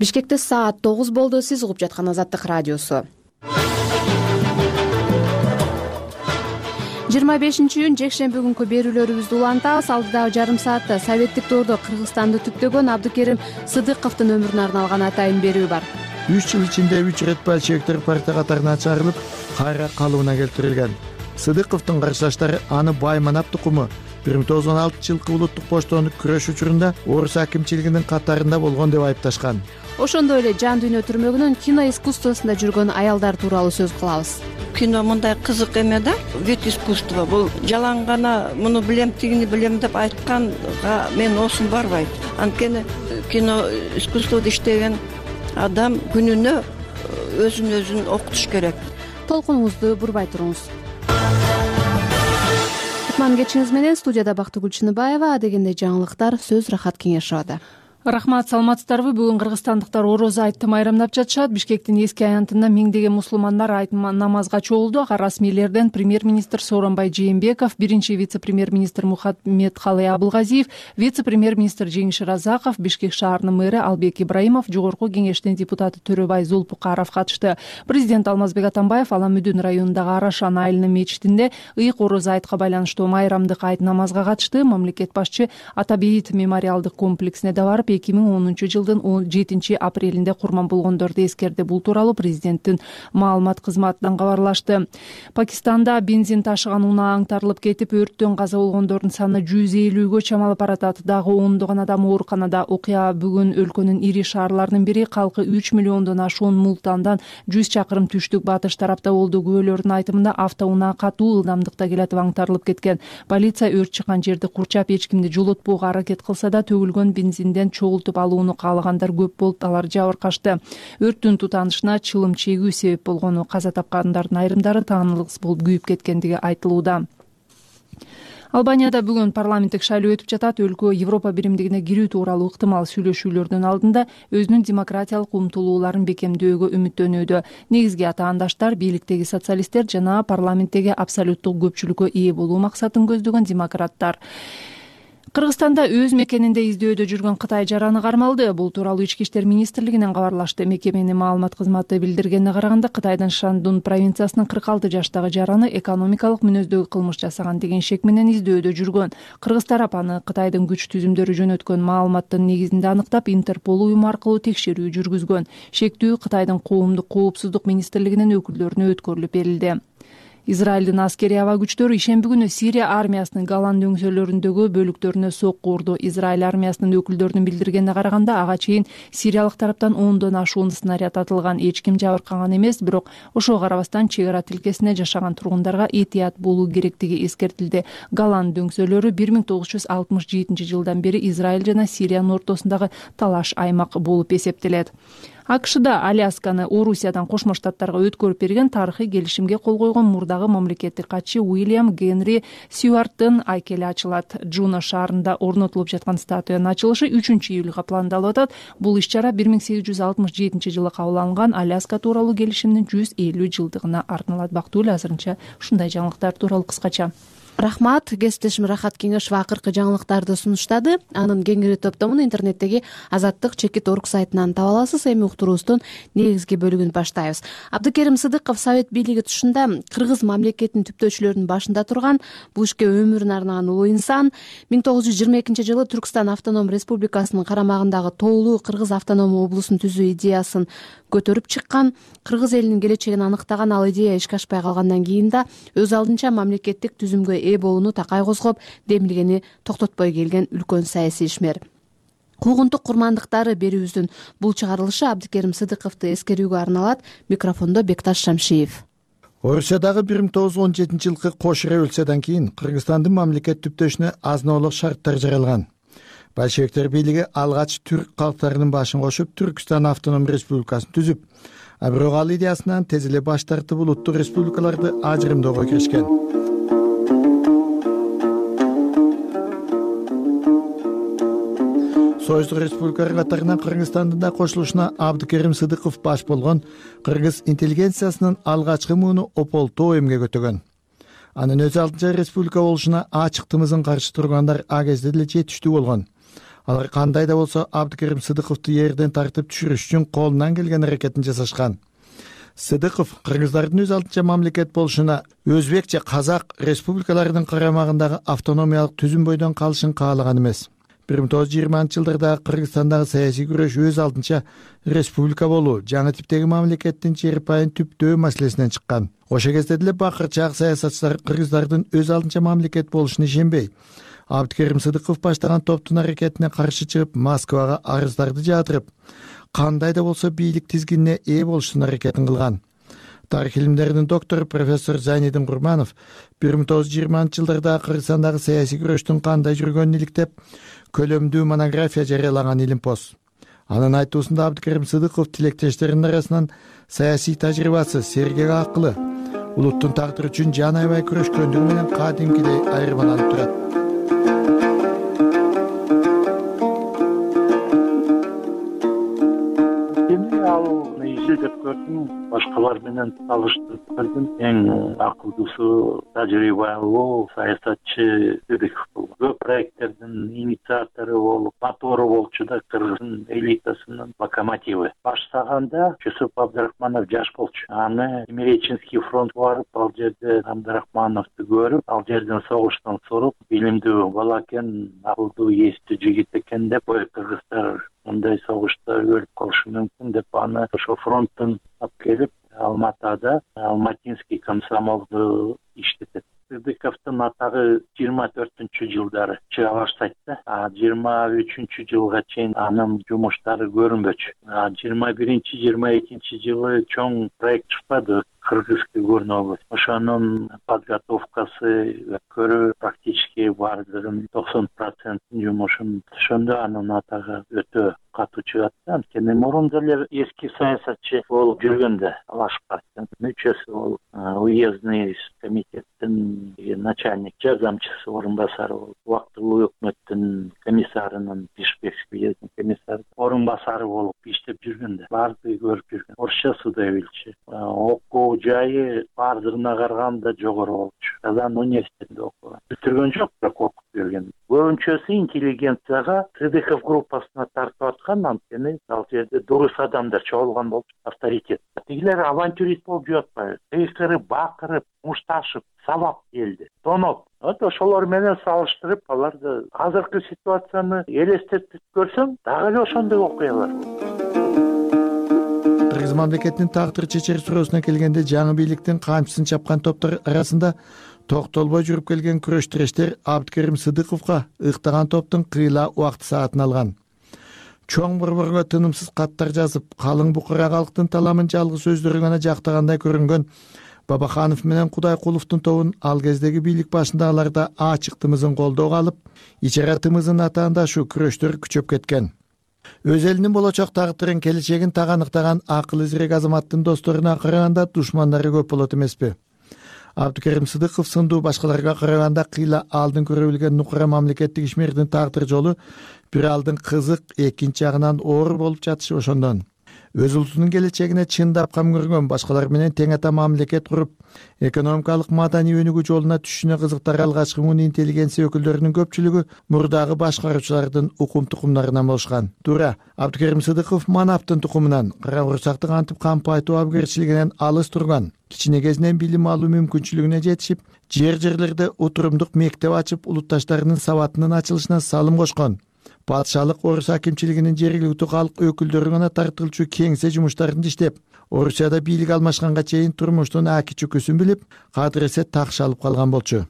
Бишкекте саат 9 болду. Сиз угуп жаткан Азаттык радиосу. 25-июнь жекшемби күнкү берүүлөрүбүздү улантабыз. Алдыдагы жарым саатта советтик доордо Кыргызстанды түптөгөн Абдыкерим Сыдыковдун өмүрүнө арналган атайын берүү бар. 3 жыл ичинде 3 ирет большевиктер партия катарына чыгарылып, кайра калыбына келтирилген. Сыдыковдун каршылаштары аны Байманап тукуму 1916 жылкы улуттук поштону күрөш учурунда орус акимчилигинин катарында болгон деп айыпташкан. Ошондой эле жан дүйнө түрмөгүнөн кино искусствосунда жүргөн аялдар тууралуу сөз кылабыз. Кино мындай кызык эме да, вид искусства. Бул жалаң гана муну билем, тигини билем деп айтканга мен осун барбайт. Анткени кино искусствода иштеген адам күнүнө өзүн окутуш керек. Толкунуңузду бурбай туруңуз. Кутман кечиңиз менен студияда Бактыгүл Чыныбаева. Адегенде жаңылыктар сөз Рахат Кеңешовада. Рахмат, саламатсыздарбы? Бүгүн кыргызстандыктар орозо айтты майрамдап жатышат. Бишкектин эски аянтында миңдеген мусулмандар айт намазга чогулду. Ага расмийлерден премьер-министр Сооронбай Жээнбеков, биринчи вице-премьер-министр Мухаммедкалый Абылгазиев, вице-премьер-министр Жеңиш Разаков, Бишкек шаарынын мэрі Албек Ибраимов, жогорку кеңештин депутаты Төрөбай Зулпукаров катышты. Президент Алмазбек Атамбаев Аламүдүн районундагы Арашан айылынын мечитинде ыйык орозо айтка байланыштуу майрамдык айт намазга катышты. Мамлекет башчы Атабейит мемориалдык комплексине да барып 2010 жылдын 17 апрелинде курман болгондорду эскерди. Бул тууралуу президенттин маалымат кызматынан кабарлашты. Пакистанда бензин ташыган унаа аңтарылып кетип, өрттөн каза болгондордун саны 150гө чамалып баратат. Дагы ондогон адам ооруканада. Окуя бүгүн өлкөнүн ири шаарларынын бири. Калкы 3 миллиондон ашуун Мултандан 100 чакырым түштүк батыш тарапта болду. Күбөлөрдүн айтымында автоунаа катуу ылдамдыкта келатып аңтарылып кеткен. Полиция өрт чыккан жерди курчап, эч кимди жолотпоого аракет кылса да, төгүлгөн бензинден чогултуп алууну каалагандар көп болуп, алар жабыркашты. Өрттүн тутанышына чылым чегүү себеп болгону, каза тапкандардын айрымдары таанылгыс болуп күйүп кеткендиги айтылууда. Албанияда бүгүн парламенттик шайлоо өтүп жатат. Өлкө Европа биримдигине кирүү тууралуу ыктымал сүйлөшүүлөрдүн алдында өзүнүн демократиялык умтулууларын бекемдөөгө үмүттөнүүдө. Негизги атаандаштар бийликтеги социалисттер жана парламенттеги абсолюттук көпчүлүккө ээ болуу максатын көздөгөн демократтар. Кыргызстанда өз мекенинде издөөдө жүргөн Кытай жараны кармалды. Бул тууралуу Ички иштер министрлигинен кабарлашты. Мекеменин маалымат кызматы билдиргенине караганда, Кытайдын Шандун провинциясынын 46 жаштагы жараны экономикалык мүнөздөгү кылмыш жасаган деген шек менен издөөдө жүргөн. Кыргыз тарап аны Кытайдын күч түзүмдөрү жөнөткөн маалыматтын негизинде аныктап, Интерпол уюму аркылуу текшерүү жүргүзгөн. Шектүү Кытайдын коомдук коопсуздук министрлигинин өкүлдөрүнө өткөрүлүп берилди. Израилдин аскери аба күчтөрү ишемби күнү Сирия армиясынын Голан дөңсөлөрүндөгү бөлүктөрүнө сокку урду. Израиль армиясынын өкүлдөрүнүн билдиргенине караганда, ага чейин сириялык тараптан 10дон ашуун снаряд атылган. Эч ким жабыркаган эмес, бирок ошого карабастан чек ара тилкесинде жашаган тургундарга этият болуу керектиги эскертилди. Голан дөңсөлөрү 1967 жылдан бери Израиль жана Сириянын ортосундагы талаш аймак болуп эсептелет. АКШда Алясканы Орусиядан Кошмо Штаттарга өткөрүп берген тарыхый келишимге кол койгон мурдагы мамлекеттик катчы Уильям Генри Сьюарттын айкели ачылат. Джуно шаарында орнотулуп жаткан статуянын ачылышы 3-июлга пландалып атат. Бул иш-чара 1867 жылы кабыл алынган Аляска тууралуу келишимдин 150 жылдыгына арналат. Бактыгүл, азырынча ушундай жаңылыктар тууралуу кыскача. Рахмат. Кесиптешим Рахат Кеңешова акыркы жаңылыктарды сунуштады. Анын кеңири топтомун интернеттеги Азаттык Чекит.орг сайтынан таба аласыз. Эми уктуруубуздун негизги бөлүгүн баштайбыз. Абдыкерим Сыдыков Совет бийлиги тушунда кыргыз мамлекетинин түптөөчүлөрүнүн башында турган, бул ишке өмүрүн арнаган улуу инсан. 1922 жылы Түркстан автоном республикасынын карамагындагы Тоолуу Кыргыз автоном облусун түзүү идеясын көтөрүп чыккан. Кыргыз элинин келечегин аныктаган ал идея ишке ашпай калгандан кийин да өз алдынча мамлекеттик түзүмгө ээ болууну такай козгоп, демилгени токтотпой келген үлкөн саясий ишмер. Куугунтук курмандыктары берүүбүздүн бул чыгарылышы Абдыкерим Сыдыковду эскерүүгө арналат. Микрофондо Бекташ Шамшиев. Орусиядагы 1917 жылкы кош революциядан кийин Кыргызстандын мамлекет түптөшүнө азынолук шарттар жаралган. Большевиктер бийлиги алгач түрк калктарынын башын кошуп, Түркстан автоном республикасын түзүп, а бирок ал идеясынан тез эле баш тартып улуттук республикаларды ажырымдөөгө киришкен. Союздук республикалар катарына Кыргызстандын да кошулушуна Абдыкерим Сыдыков баш болгон кыргыз интеллигенциясынын алгачкы мууну ополтоо эмгек өтөгөн. Анын өз алдынча республика болушуна ачык тымызын каршы тургандар а кезде деле жетиштүү болгон. Алар кандай да болсо Абдыкерим Сыдыковду жерден тартып түшүрүш үчүн колунан келген аракетин жасашкан. Сыдыков кыргыздардын өз алдынча мамлекет болушуна өзбек же казак республикаларынын карамагындагы автономиялык түзүм бойдон калышын каалаган эмес. 1920-жылдарда Кыргызстандагы саясий күрөш өз алдынча республика болуу, жаңы типтеги мамлекеттин жер пайын түптөө маселесинен чыккан. Ошол кезде деле бакырчаак саясатчылар кыргыздардын өз алдынча мамлекет болушуна ишенбей, Абдыкерим Сыдыков баштаган топтун аракетине каршы чыгып, Москвага арыздарды жаатырып, кандай да болсо бийлик тизгинине ээ болуштун аракетин кылган. Тарых илимдеринин доктору профессор Зайнидин Курманов 1920-жылдарда Кыргызстандагы саясий күрөштүн кандай жүргөнүн иликтеп, көлөмдүү монография жарыялаган илимпоз. Анын айтуусунда Абдыкерим Сыдыков тилектештеринин арасынан саясий тажрыйбасы, сергек акылы, улуттун тагдыры үчүн жан аябай күрөшкөндүгү менен кадимкидей айырмаланып турат. Ал изилдеп көрдүм, башкалар менен салыштырып көрдүм. Эң акылдуусу, тажрыйбалуу саясатчы Сыдыков болду. Көп проекттердин инициатору болуп, мотору болчу да, кыргыздын элитасынын локомотиви. Баштаганда Жусуп Абдрахманов жаш болчу. Аны Семиреченский фронтко барып, ал жерде Абдрахмановду көрүп, ал жерден согуштан соруп, билимдүү бала экен, акылдуу, эстүү жигит экен деп, кыргыздар мындай согушта өлүп калышы мүмкүн деп аны ошо фронттон алып келип, Алматада Алматинский комсомолду иштетет. Сыдыковдун атагы 24-жылдары чыга баштайт да. 23-жылга чейин анын жумуштары көрүнбөчү. 21-22 чоң проект чыкпады. Кыргызский көрүнөбүз. Ошонун подготовкасы көрүү практически бардыгын 90% жумушун ошондо анын атагы өтө катуу чыгат. Анткени мурун деле эски саясатчы болуп жүргөндө Алаш партиянын мүчөсү болуп, уездный комитеттин начальник жардамчысы орун басары болуп, убактылуу өкмөттүн комиссарынын Бишкекский комиссары орун басары болуп иштеп жүргөндө баардыгы көрүп жүргөн. Орусча судовилчи, окуу жайы бардыгына караганда жогору болчу. Казан университетинде окуган. Бүтүргөн жок, бирок окуп жүргөн. Көбүнчөсү интеллигенцияга Сыдыков группасына тартып аткан, анткени ал жерде дурус адамдар чогулган болчу, авторитет. Тигилер авантюрист болуп жатпайбы? Кыйкырып, бакырып, мушташып, сабап келди. Тоноп. Ошолор менен салыштырып, аларды азыркы ситуацияны элестетип көрсөм, дагы эле ошондой окуялар болду. Кыргыз мамлекетинин тагдыр чечер суроосуна келгенде, жаңы бийликтин камчысын чапкан топтор арасында токтолбой жүрүп келген күрөш тирештер Абдыкерим Сыдыковго ыктаган топтун кыйла убакыт саатын алган. Чоң борборго тынымсыз каттар жазып, калың букара калктын таламын жалгыз өздөрү гана жактагандай көрүнгөн Бабаханов менен Кудайкуловдун тобун ал кездеги бийлик башындагыларда ачык тымызын колдоого алып, ичара тымыздын атаанда ушу күрөштөр күчөп кеткен. Өз элинин болочок тагдырын, келечегин таганыктаган акыл изирек азаматтын досторуна караганда душмандары көп болот эмеспи? Абдыкерим Сыдыков сындуу башкаларга караганда кыйла алдын көрө билген нукура мамлекеттик ишмердин тагдыр жолу бир алдын кызык, экинчи жагынан оор болуп жатышы ошондон. Өз улутунун келечегине чындап кам көргөн, башкалар менен тең ата мамлекет куруп, экономикалык маданий өнүгүү жолуна түшүшүнө кызыктар алгачкы муун интеллигенция өкүлдөрүнүн көпчүлүгү мурдагы башкаруучулардын укум тукумдарынан болушкан. Туура, Абдыкерим Сыдыков манаптын тукумунан, кара курсактык антип кампайтуу абгерчилигинен алыс турган. Кичине кезинен билим алуу мүмкүнчүлүгүнө жетишип, жерлерде отурумдук мектеп ачып, улутташтарынын сабатынын ачылышына салым кошкон. Патшалык Орус акимчилигинин жергиликтүү калк өкүлдөрү гана тартылчу кеңсе жумуштарында иштеп, Орусияда бийлик алмашканга чейин турмуштун аки чүкүсүн билип, кадыресе такш алып калган болчу.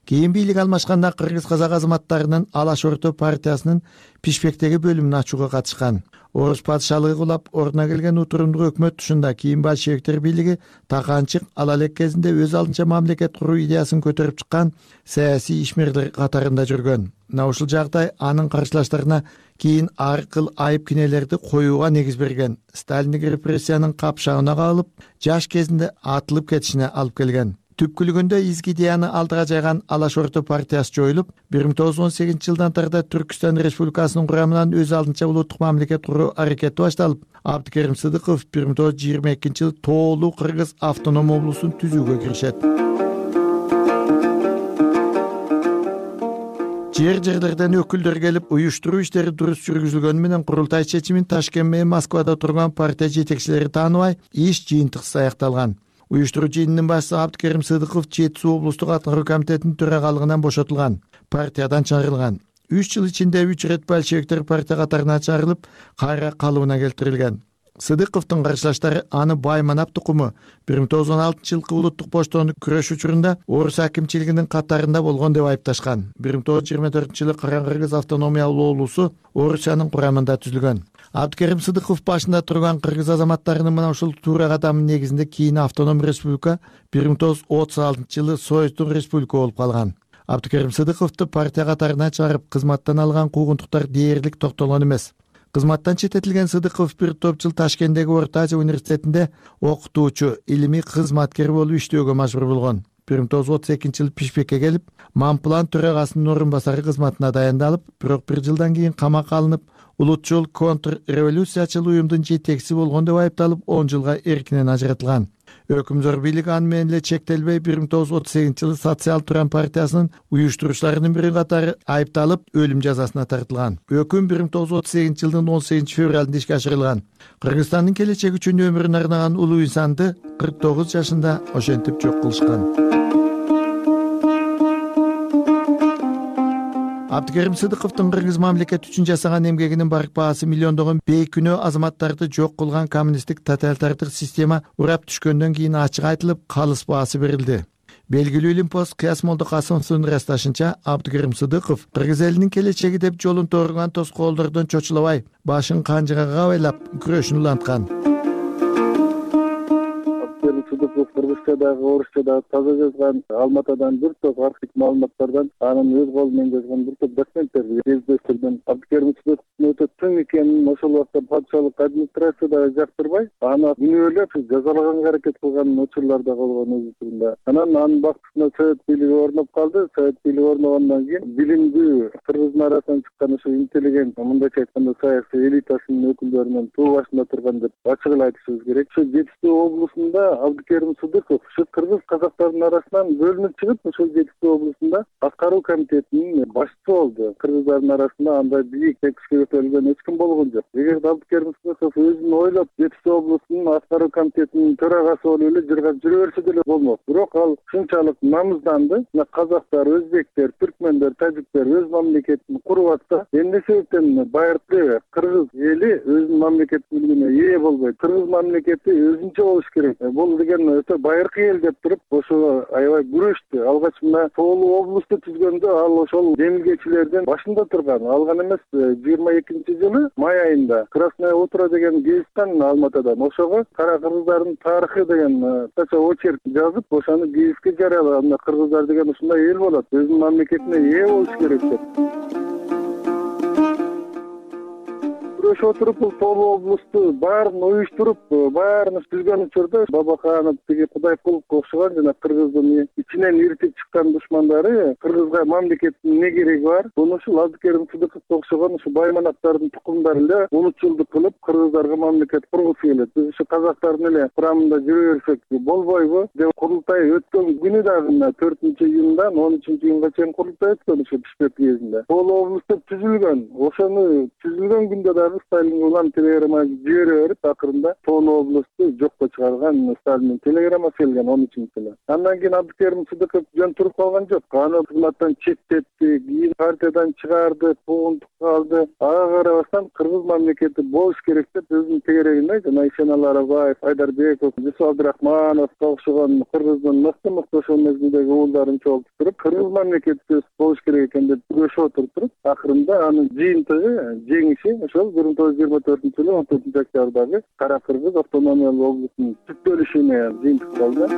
Кийин бийлик алмашканда кыргыз-казак азаматтарынын Алаш Орто партиясынын Пишпектеги бөлүмүн ачууга катышкан. Орус патшалыгы кулап, ордуна келген утурумдук өкмөт тушунда кийин большевиктер бийлиги таканчык ал элек кезинде өз алдынча мамлекет куруу идеясын көтөрүп чыккан саясий ишмерлер катарында жүргөн. Мына ушул жагдай анын каршылаштарына кийин ар кыл айып кинелерди коюуга негиз берген. Сталиндик репрессиянын капшагына кабылып, жаш кезинде атылып кетишине алып келген. Түпкүлүгүндө изги идеяны алдыга жайган Алаш Орто партиясы жоюлуп, 1918-жылдан тарда Түркүстан Республикасынын курамынан өз алдынча улуттук мамлекет куруу аракети башталып, Абдыкерим Сыдыков 1922-жылы тоолуу Кыргыз автоном облусун түзүүгө киришет. жерлерден өкүлдөр келип уюштуруу иштери дурус жүргүзүлгөнү менен курултай чечимин Ташкент менен Москвада турган партия жетекчилери тааныбай, иш жыйынтыксыз аякталган. Уюштуруу жыйынынын башчысы Абдыкерим Сыдыков Жети Суу облустук аткаруу комитетинин төрагалыгынан бошотулган, партиядан чыгарылган. 3 жыл ичинде 3 ирет большевиктер партия катарына чыгарылып, кайра калыбына келтирилген. Сыдыковдун каршылаштары аны Байманап тукуму 1916-жылкы улуттук поштоону күрөш учурунда орус акимчилигинин катарында болгон деп айыпташкан. 1924-жылы Каракыргыз автономиялуу облусу Орусиянын курамында түзүлгөн. Абдыкерим Сыдыков башында турган кыргыз азаматтарынын мына ушул туура кадамынын негизинде кийин автоном республика 1936-жылы Союздун республика болуп калган. Абдыкерим Сыдыковду партия катарына чыгарып, кызматтан алган куугунтуктар дээрлик токтолгон эмес. Кызматтан четтетилген Сыдыков бир топ жыл Ташкенттеги Орто Азия университетинде окутуучу, илимий кызматкер болуп иштөөгө мажбур болгон. 1932-жылы Пишпекке келип, Мамплан төрагасынын орун басары кызматына дайындалып, бирок бир жылдан кийин камакка алынып, улутчул контрреволюциячыл уюмдун жетекчиси болгон деп айыпталып, 10 жылга эркинен ажыратылган. Өкүмдөр бийлиги аны менен эле чектелбей, 1938-жылы Социал Туран партиясынын уюштуруучуларынын бири катары айыпталып, өлүм жазасына тартылган. Өкүм 1938-жылдын 18-февралында ишке ашырылган. Кыргызстандын келечеги үчүн өмүрүн арнаган улуу инсанды 49 жашында ошентип жок кылышкан. Абдыкерим Сыдыковдун кыргыз мамлекети үчүн жасаган эмгегинин барк баасы миллиондогон бейкүнөө азаматтарды жок кылган коммунисттик тоталитардык система урап түшкөндөн кийин ачык айтылып, калыс баасы берилди. Белгилүү илимпоз Кыяс Молдокасымовдун ырасташынча, Абдыкерим Сыдыков кыргыз элинин келечеги деп жолун торган тоскоолдордон чочулабай, башын канжыга кабайлап күрөшүн уланткан. Сыдыков кыргызчадагы, орусчадагы таза жазган, Алматадан бир топ архив маалыматтардан, анын өз колу менен жазган бир топ документтерди кездештирдим. Абдыкерим Сыдыковдун өтө чың экенин ошол убакта патшалык администрацияда жактырбай, аны күнөөлөп жазалаганга аракет кылган учурлар да болгон өз учурунда. Анан анын бактысына Совет бийлиги орноп калды. Совет бийлиги орногондон кийин билимдүү кыргыздын арасынан чыккан ошо интеллигент, мындайча айтканда саясий элитасынын өкүлдөрүнүн туу башында турган деп ачык эле айтышыбыз керек. Ошо Жети Суу облусунда Абдыкерим Сыдыков ушу кыргыз казактардын арасынан бөлүнүп чыгып, ошол Жети Суу облусунда аткаруу комитетинин башчысы болду. Кыргыздардын арасында андай бийик текишке көтөрүлгөн эч ким болгон жок. Эгерде Абдыкерим Сыдыков өзүн ойлоп Жети Суу облусунун аткаруу комитетинин төрагасы болуп эле жыргап жүрө берсе деле болмок. Бирок ал ушунчалык намызданды. Казактар, өзбектер, түркмендер, тажиктер өз мамлекетин куруп атса, эмне себептен байыркы кыргыз эли өзүнүн мамлекеттүүлүгүнө ээ болбойт? Кыргыз мамлекети өзүнчө болуш керек. Бул деген өтө байыркы эл деп туруп, ошого аябай күрөштү. Алгач мына Тоолуу облусту түзгөндө ал ошол демилгечилердин башында турган. Алган эмес, 22-жылы май айында Красное утро деген гезит чыккан Алматадан. Ошого кара кыргыздардын тарыхы деген кыска очерк жазып, ошону гезитке жарыялаган. Кыргыздар деген ушундай эл болот, өзүнүн мамлекетине ээ болуш керек деп. Күрөшүп отуруп, бул Тоолуу облусту баарын уюштуруп, баарын түзгөн учурда Бабаканов, тиги Кудайкуловго окшогон жана кыргыздын ичинен иритип чыккан душмандары кыргызга мамлекеттин эмне кереги бар? Буну ушул Абдыкерим Сыдыковго окшогон ушу Байманаптардын тукумдары эле улутчулдук кылып, кыргыздарга мамлекет кургусу келет. Биз ушу казактардын эле курамында жүрө берсек болбойбу деп курултай өткөн күнү дагы 4-июндан 13-июнга чейин курултай өткөн ушу Бишкек кезинде. Тоолуу облусту түзүлгөн. Ошону түзүлгөн күндө дагы Сталинге улам телеграмма жибере берип, акырында Тоолуу облусту жокко чыгарган Сталиндин телеграммасы келген 13-жылы. Андан кийин Абдыкерим Сыдыков жөн туруп калган жок. Аны кызматтан четтетти, кийин партиядан чыгарды, куугунтукка алды. Ага карабастан кыргыз мамлекети болуш керек деп өзүнүн тегерегинде жана Ишеналы Арабаев, Айдарбеков, Жусуп Абдрахмановго окшогон кыргыздын мыкты ошол мезгилдеги уулдарын чогултуп, кыргыз мамлекети болуш керек экен деп күрөшүп отуруп, акырында анын жыйынтыгы, жеңиши ошол 1924-жылы 14-октябрдагы Кара Кыргыз автономиялуу облусунун түптөлүшүнө жыйынтык болду.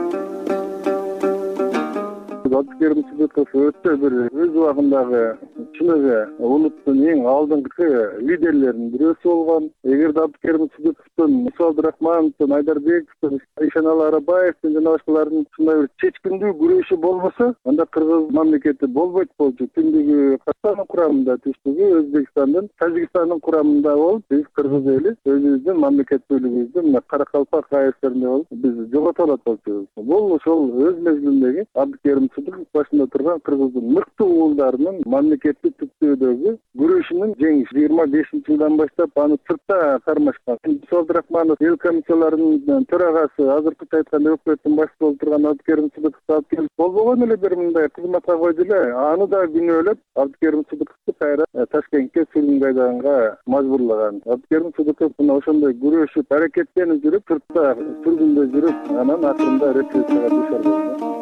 Абдыкерим Сыдыков өтө бир өз убагындагы чыныгы улуттун эң алдыңкы лидерлеринин бирөөсү болгон. Эгерде Абдыкерим Сыдыковдун, Жусуп Абдрахмановдун, Айдарбековдун, Ишеналы Арабаевдин жана башкалардын ушундай бир чечкиндүү күрөшү болбосо, анда кыргыз мамлекети болбойт болчу. Түндүгү Казакстандын курамында, түштүгү Өзбекстандын, Тажикстандын курамында болуп, биз кыргыз эли өзүбүздүн мамлекеттүүлүгүбүздү мына Каракалпак АСРинде болуп, биз жогото алат болчубуз. Бул ошол өз мезгилиндеги Абдыкерим Сыдыков башында турган Кыргыздын мыкты уулдарынын мамлекеттик түптөөдөгү күрөшүнүн жеңиши. 25-жылдан баштап аны сыртта кармашкан. Абдрахманов эл комиссияларынын төрагасы, азыркы айтканда өкмөттүн башчысы болуп турган Абдыкерим Сыдыковду алып келип болбогон эле бир мындай кызматка койду эле. Аны да күнөөлөп Абдыкерим Сыдыковду кайра Ташкентке сүргүнгайдганга мажбурлаган. Абдыкерим Сыдыков мына ошондой күрөшүп, аракеттенип жүрүп, сыртта сүргүндө жүрүп, анан акырында репрессияга душар болду.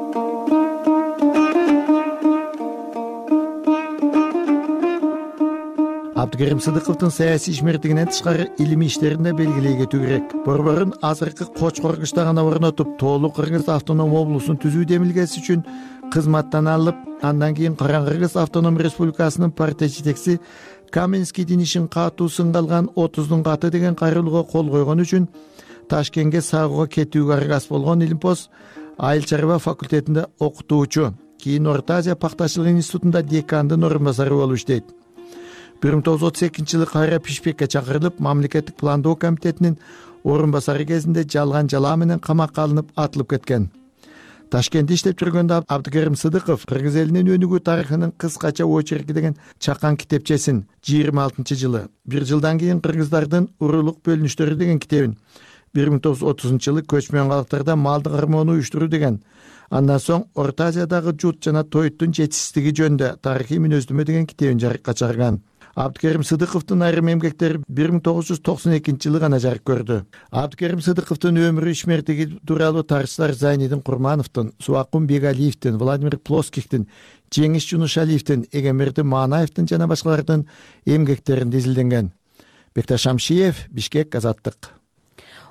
Абдыкерим Сыдыковдун саясий ишмердигинен тышкары илимий иштерин да белгилей кетүү керек. Борборун азыркы Кочкор-Кышта гана орнотуп, тоолук Кыргыз автоном облусун түзүү демилгеси үчүн кызматтан алып, андан кийин Каран Кыргыз автоном республикасынын партия жетекчиси Каменскийдин ишин катуу сынга алган 30-дун каты деген кайрылууга кол койгон үчүн Ташкентке сагууга кетүүгө аргас болгон Илимпоз айыл чарба факультетинде окутуучу, кийин Орто Азия пактачылык институтунда декандын орун басары болуп иштейт. 1932-жылы кайра Бишкекке чакырылып, мамлекеттик пландоо комитетинин орун басары кезинде жалган жалаа менен камакка алынып атылып кеткен. Ташкентте иштеп жүргөндө Абдыкерим Сыдыков Кыргыз элинин өнүгүү тарыхынын кыскача очерки деген чакан китепчесин 26-жылы, бир жылдан кийин кыргыздардын урулук бөлүнүштөрү деген китебин, 1930-жылы көчмөн калктарда малды кармоону уюштуруу деген, андан соң Орто Азиядагы жут жана тоюттун жетишсиздиги жөнүндө тарыхый мүнөздөмө деген китебин жарыкка чыгарган. Абдыкерим Сыдыковдун айрым эмгектери 1992-жылы гана жарык көрдү. Абдыкерим Сыдыковдун өмүрү ишмердиги тууралуу тарыхчылар Зайнидин Курмановдун, Субакун Бегалиевдин, Владимир Плоскихтин, Жеңиш Жунушалиевдин, Эгемберди Манаевдин жана башкалардын эмгектеринде изилденген. Бекташ Шамшиев, Бишкек, Азаттык.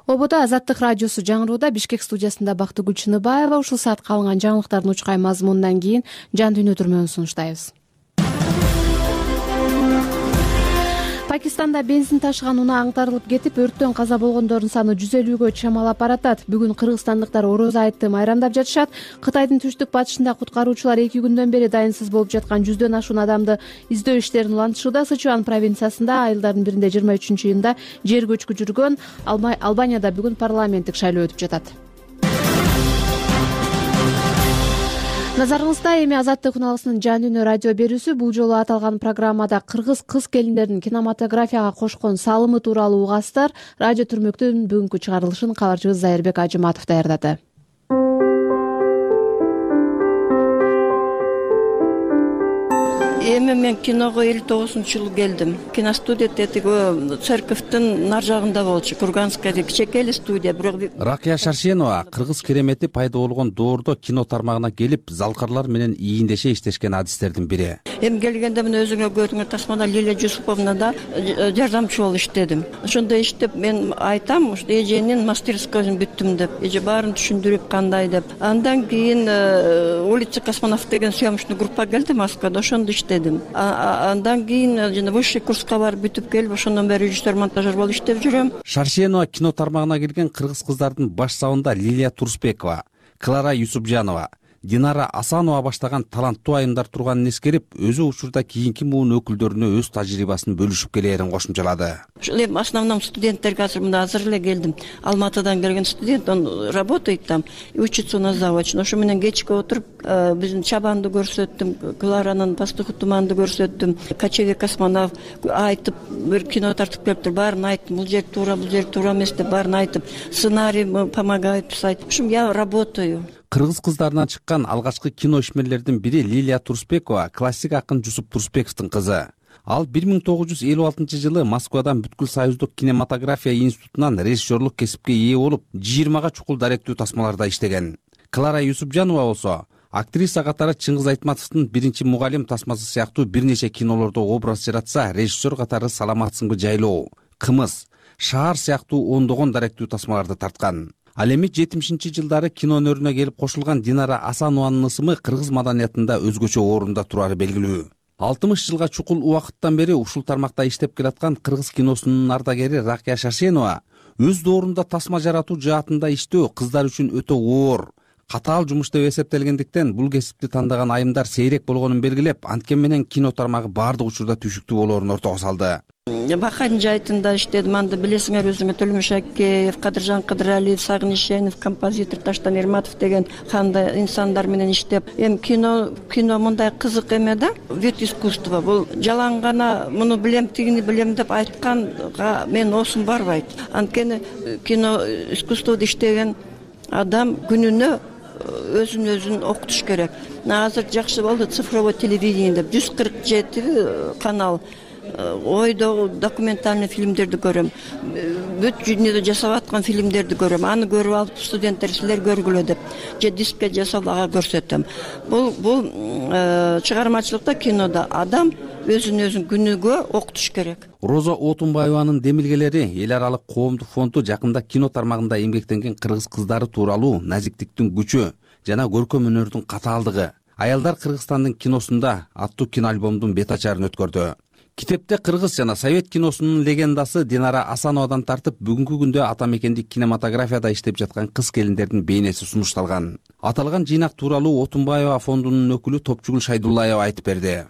Ободо Азаттык радиосу жаңырууда. Бишкек студиясында Бактыгүл Чыныбаева. Ушул саатка алынган жаңылыктардын учкай мазмунунан кийин жан дүйнө түрмөгүн сунуштайбыз. Пакистанда бензин ташыган унаа аңтарылып кетип, өрттөн каза болгондордун саны 150гө чамалап баратат. Бүгүн кыргызстандыктар Орозо айытты майрамдап жатышат. Кытайдын түштүк батышында куткаруучулар 2 күндөн бери дайынсыз болуп жаткан 100дөн ашуун адамды издөө иштерин улантышууда. Сычуан провинциясында айылдардын биринде 23-июнда жер көчкү жүргөн. Албанияда бүгүн парламенттик шайлоо өтүп жатат. Назарыңызда эми Азаттык күналысынын жан дүйнө радио берүүсү. Бул жолу аталган программада кыргыз кыз келиндердин кинематографияга кошкон салымы тууралуу угасыздар. Радио түрмөктүн бүгүнкү чыгарылышын кабарчыбыз Зайырбек Ажыматов даярдады. Эми мен киного 59-жылы келдим. Киностудия тетиги церковдун нар жагында болчу. Курганская кичекеле студия, бирок Ракия Шаршенова кыргыз керемети пайда болгон доордо кино тармагына келип, залкарлар менен ийиндеше иштешкен адистердин бири. Эми келгенде мен өзүңө көтүңөр тасмада Лилия Жусуповна да жардамчы болуп иштедим. Ошондо иштеп мен айтам, ушу эженин мастерскойун бүттүм деп, эже баарын түшүндүрүп кандай деп. Андан кийин улица Космонавт деген съемочный группа келди Москвада, ошондо иштедим. Андан кийин жана высший курска барып бүтүп келип, ошондон бери режиссер, монтажер болуп иштеп жүрөм. Шаршенова кино тармагына келген кыргыз кыздардын баш сабында Лилия Турсбекова, Клара Юсупжанова, Динара Асанова баштаган таланттуу айымдар турганын эскерип, өзү учурда кийинки муун өкүлдөрүнө өз тажрыйбасын бөлүшүп келээрин кошумчалады. Ушул эми основном студенттерге азыр эле келдим. Алматыдан келген студент, он работает там, учится у нас заочно. Ошо менен кечке отуруп, биздин Чабанды көрсөттүм, Кларанын Пастуху туманды көрсөттүм, Кочевик Космонавт айтып, бир кино тартып келиптир, баарын айттым, бул жер туура эмес деп баарын айтып, сценарий помогает писать. В общем, я работаю. Кыргыз кыздарынан чыккан алгачкы кино ишмерлердин бири Лилия Турсбекова, классик акын Жусуп Турсбековдун кызы. Ал 1956-жылы Москвадан бүткүл союздук кинематография институтунан режиссерлук кесипке ээ болуп, 20га чукул даректүү тасмаларда иштеген. Клара Юсупжанова болсо актриса катары Чыңгыз Айтматовдун биринчи мугалим тасмасы сыяктуу бир нече кинолордо образ жаратса, режиссер катары Саламатсыңбы жайлоо, Кымыз, Шаар сыяктуу ондогон даректүү тасмаларды тарткан. Ал эми 70-жылдары кино өнөрүнө келип кошулган Динара Асанованын ысымы кыргыз маданиятында өзгөчө орунда турары белгилүү. 60 жылга чукул убакыттан бери ушул тармакта иштеп келаткан кыргыз киносунун ардагери Ракия Шаршенова өз доорунда тасма жаратуу жаатында иштөө кыздар үчүн өтө оор, Катаал жумуш деп эсептелгендиктен бул кесипти тандаган айымдар сейрек болгонун белгилеп, анткени менен кино тармагы баардык учурда түйшүктүү болоорун ортого салды. Бакайн жайтында иштедим, анда билесиңер өзүңөр Төлмүш Акеев, Кадыржан Кыдыралиев, Сагыныч Шенов, композитор Таштан Эрматов деген кандай инсандар менен иштеп, эми кино мындай кызык эме да, вид искусства. Бул жалаң гана муну билем, тигини билем деп айтканга мен оосум барбайт. Анткени кино искусствода иштеген адам күнүнө өзүн окутуш керек. Азыр жакшы болду цифровой телевидение деп 147 канал ойдогу документальный фильмдерди көрөм, бүт дүйнөдө жасап аткан фильмдерди көрөм. Аны көрүп алып студенттер силер көргүлө деп же дискке жасап ага көрсөтөм. Бул чыгармачылыкта, кинода адам өзүн күнүгө окутуш керек. Роза Отунбаеванын демилгелери эл аралык коомдук фонду жакында кино тармагында эмгектенген кыргыз кыздары тууралуу назиктиктин күчү жана көркөм өнөрдүн катаалдыгы аялдар Кыргызстандын киносунда аттуу киноальбомдун бет ачарын өткөрдү. Китепте кыргыз жана совет киносунун легендасы Динара Асановадан тартып бүгүнкү күндө ата мекендик кинематографияда иштеп жаткан кыз келиндердин бейнеси сунушталган. Аталган жыйнак тууралуу Отунбаева фондунун өкүлү Топчугул Шайдуллаева айтып берди.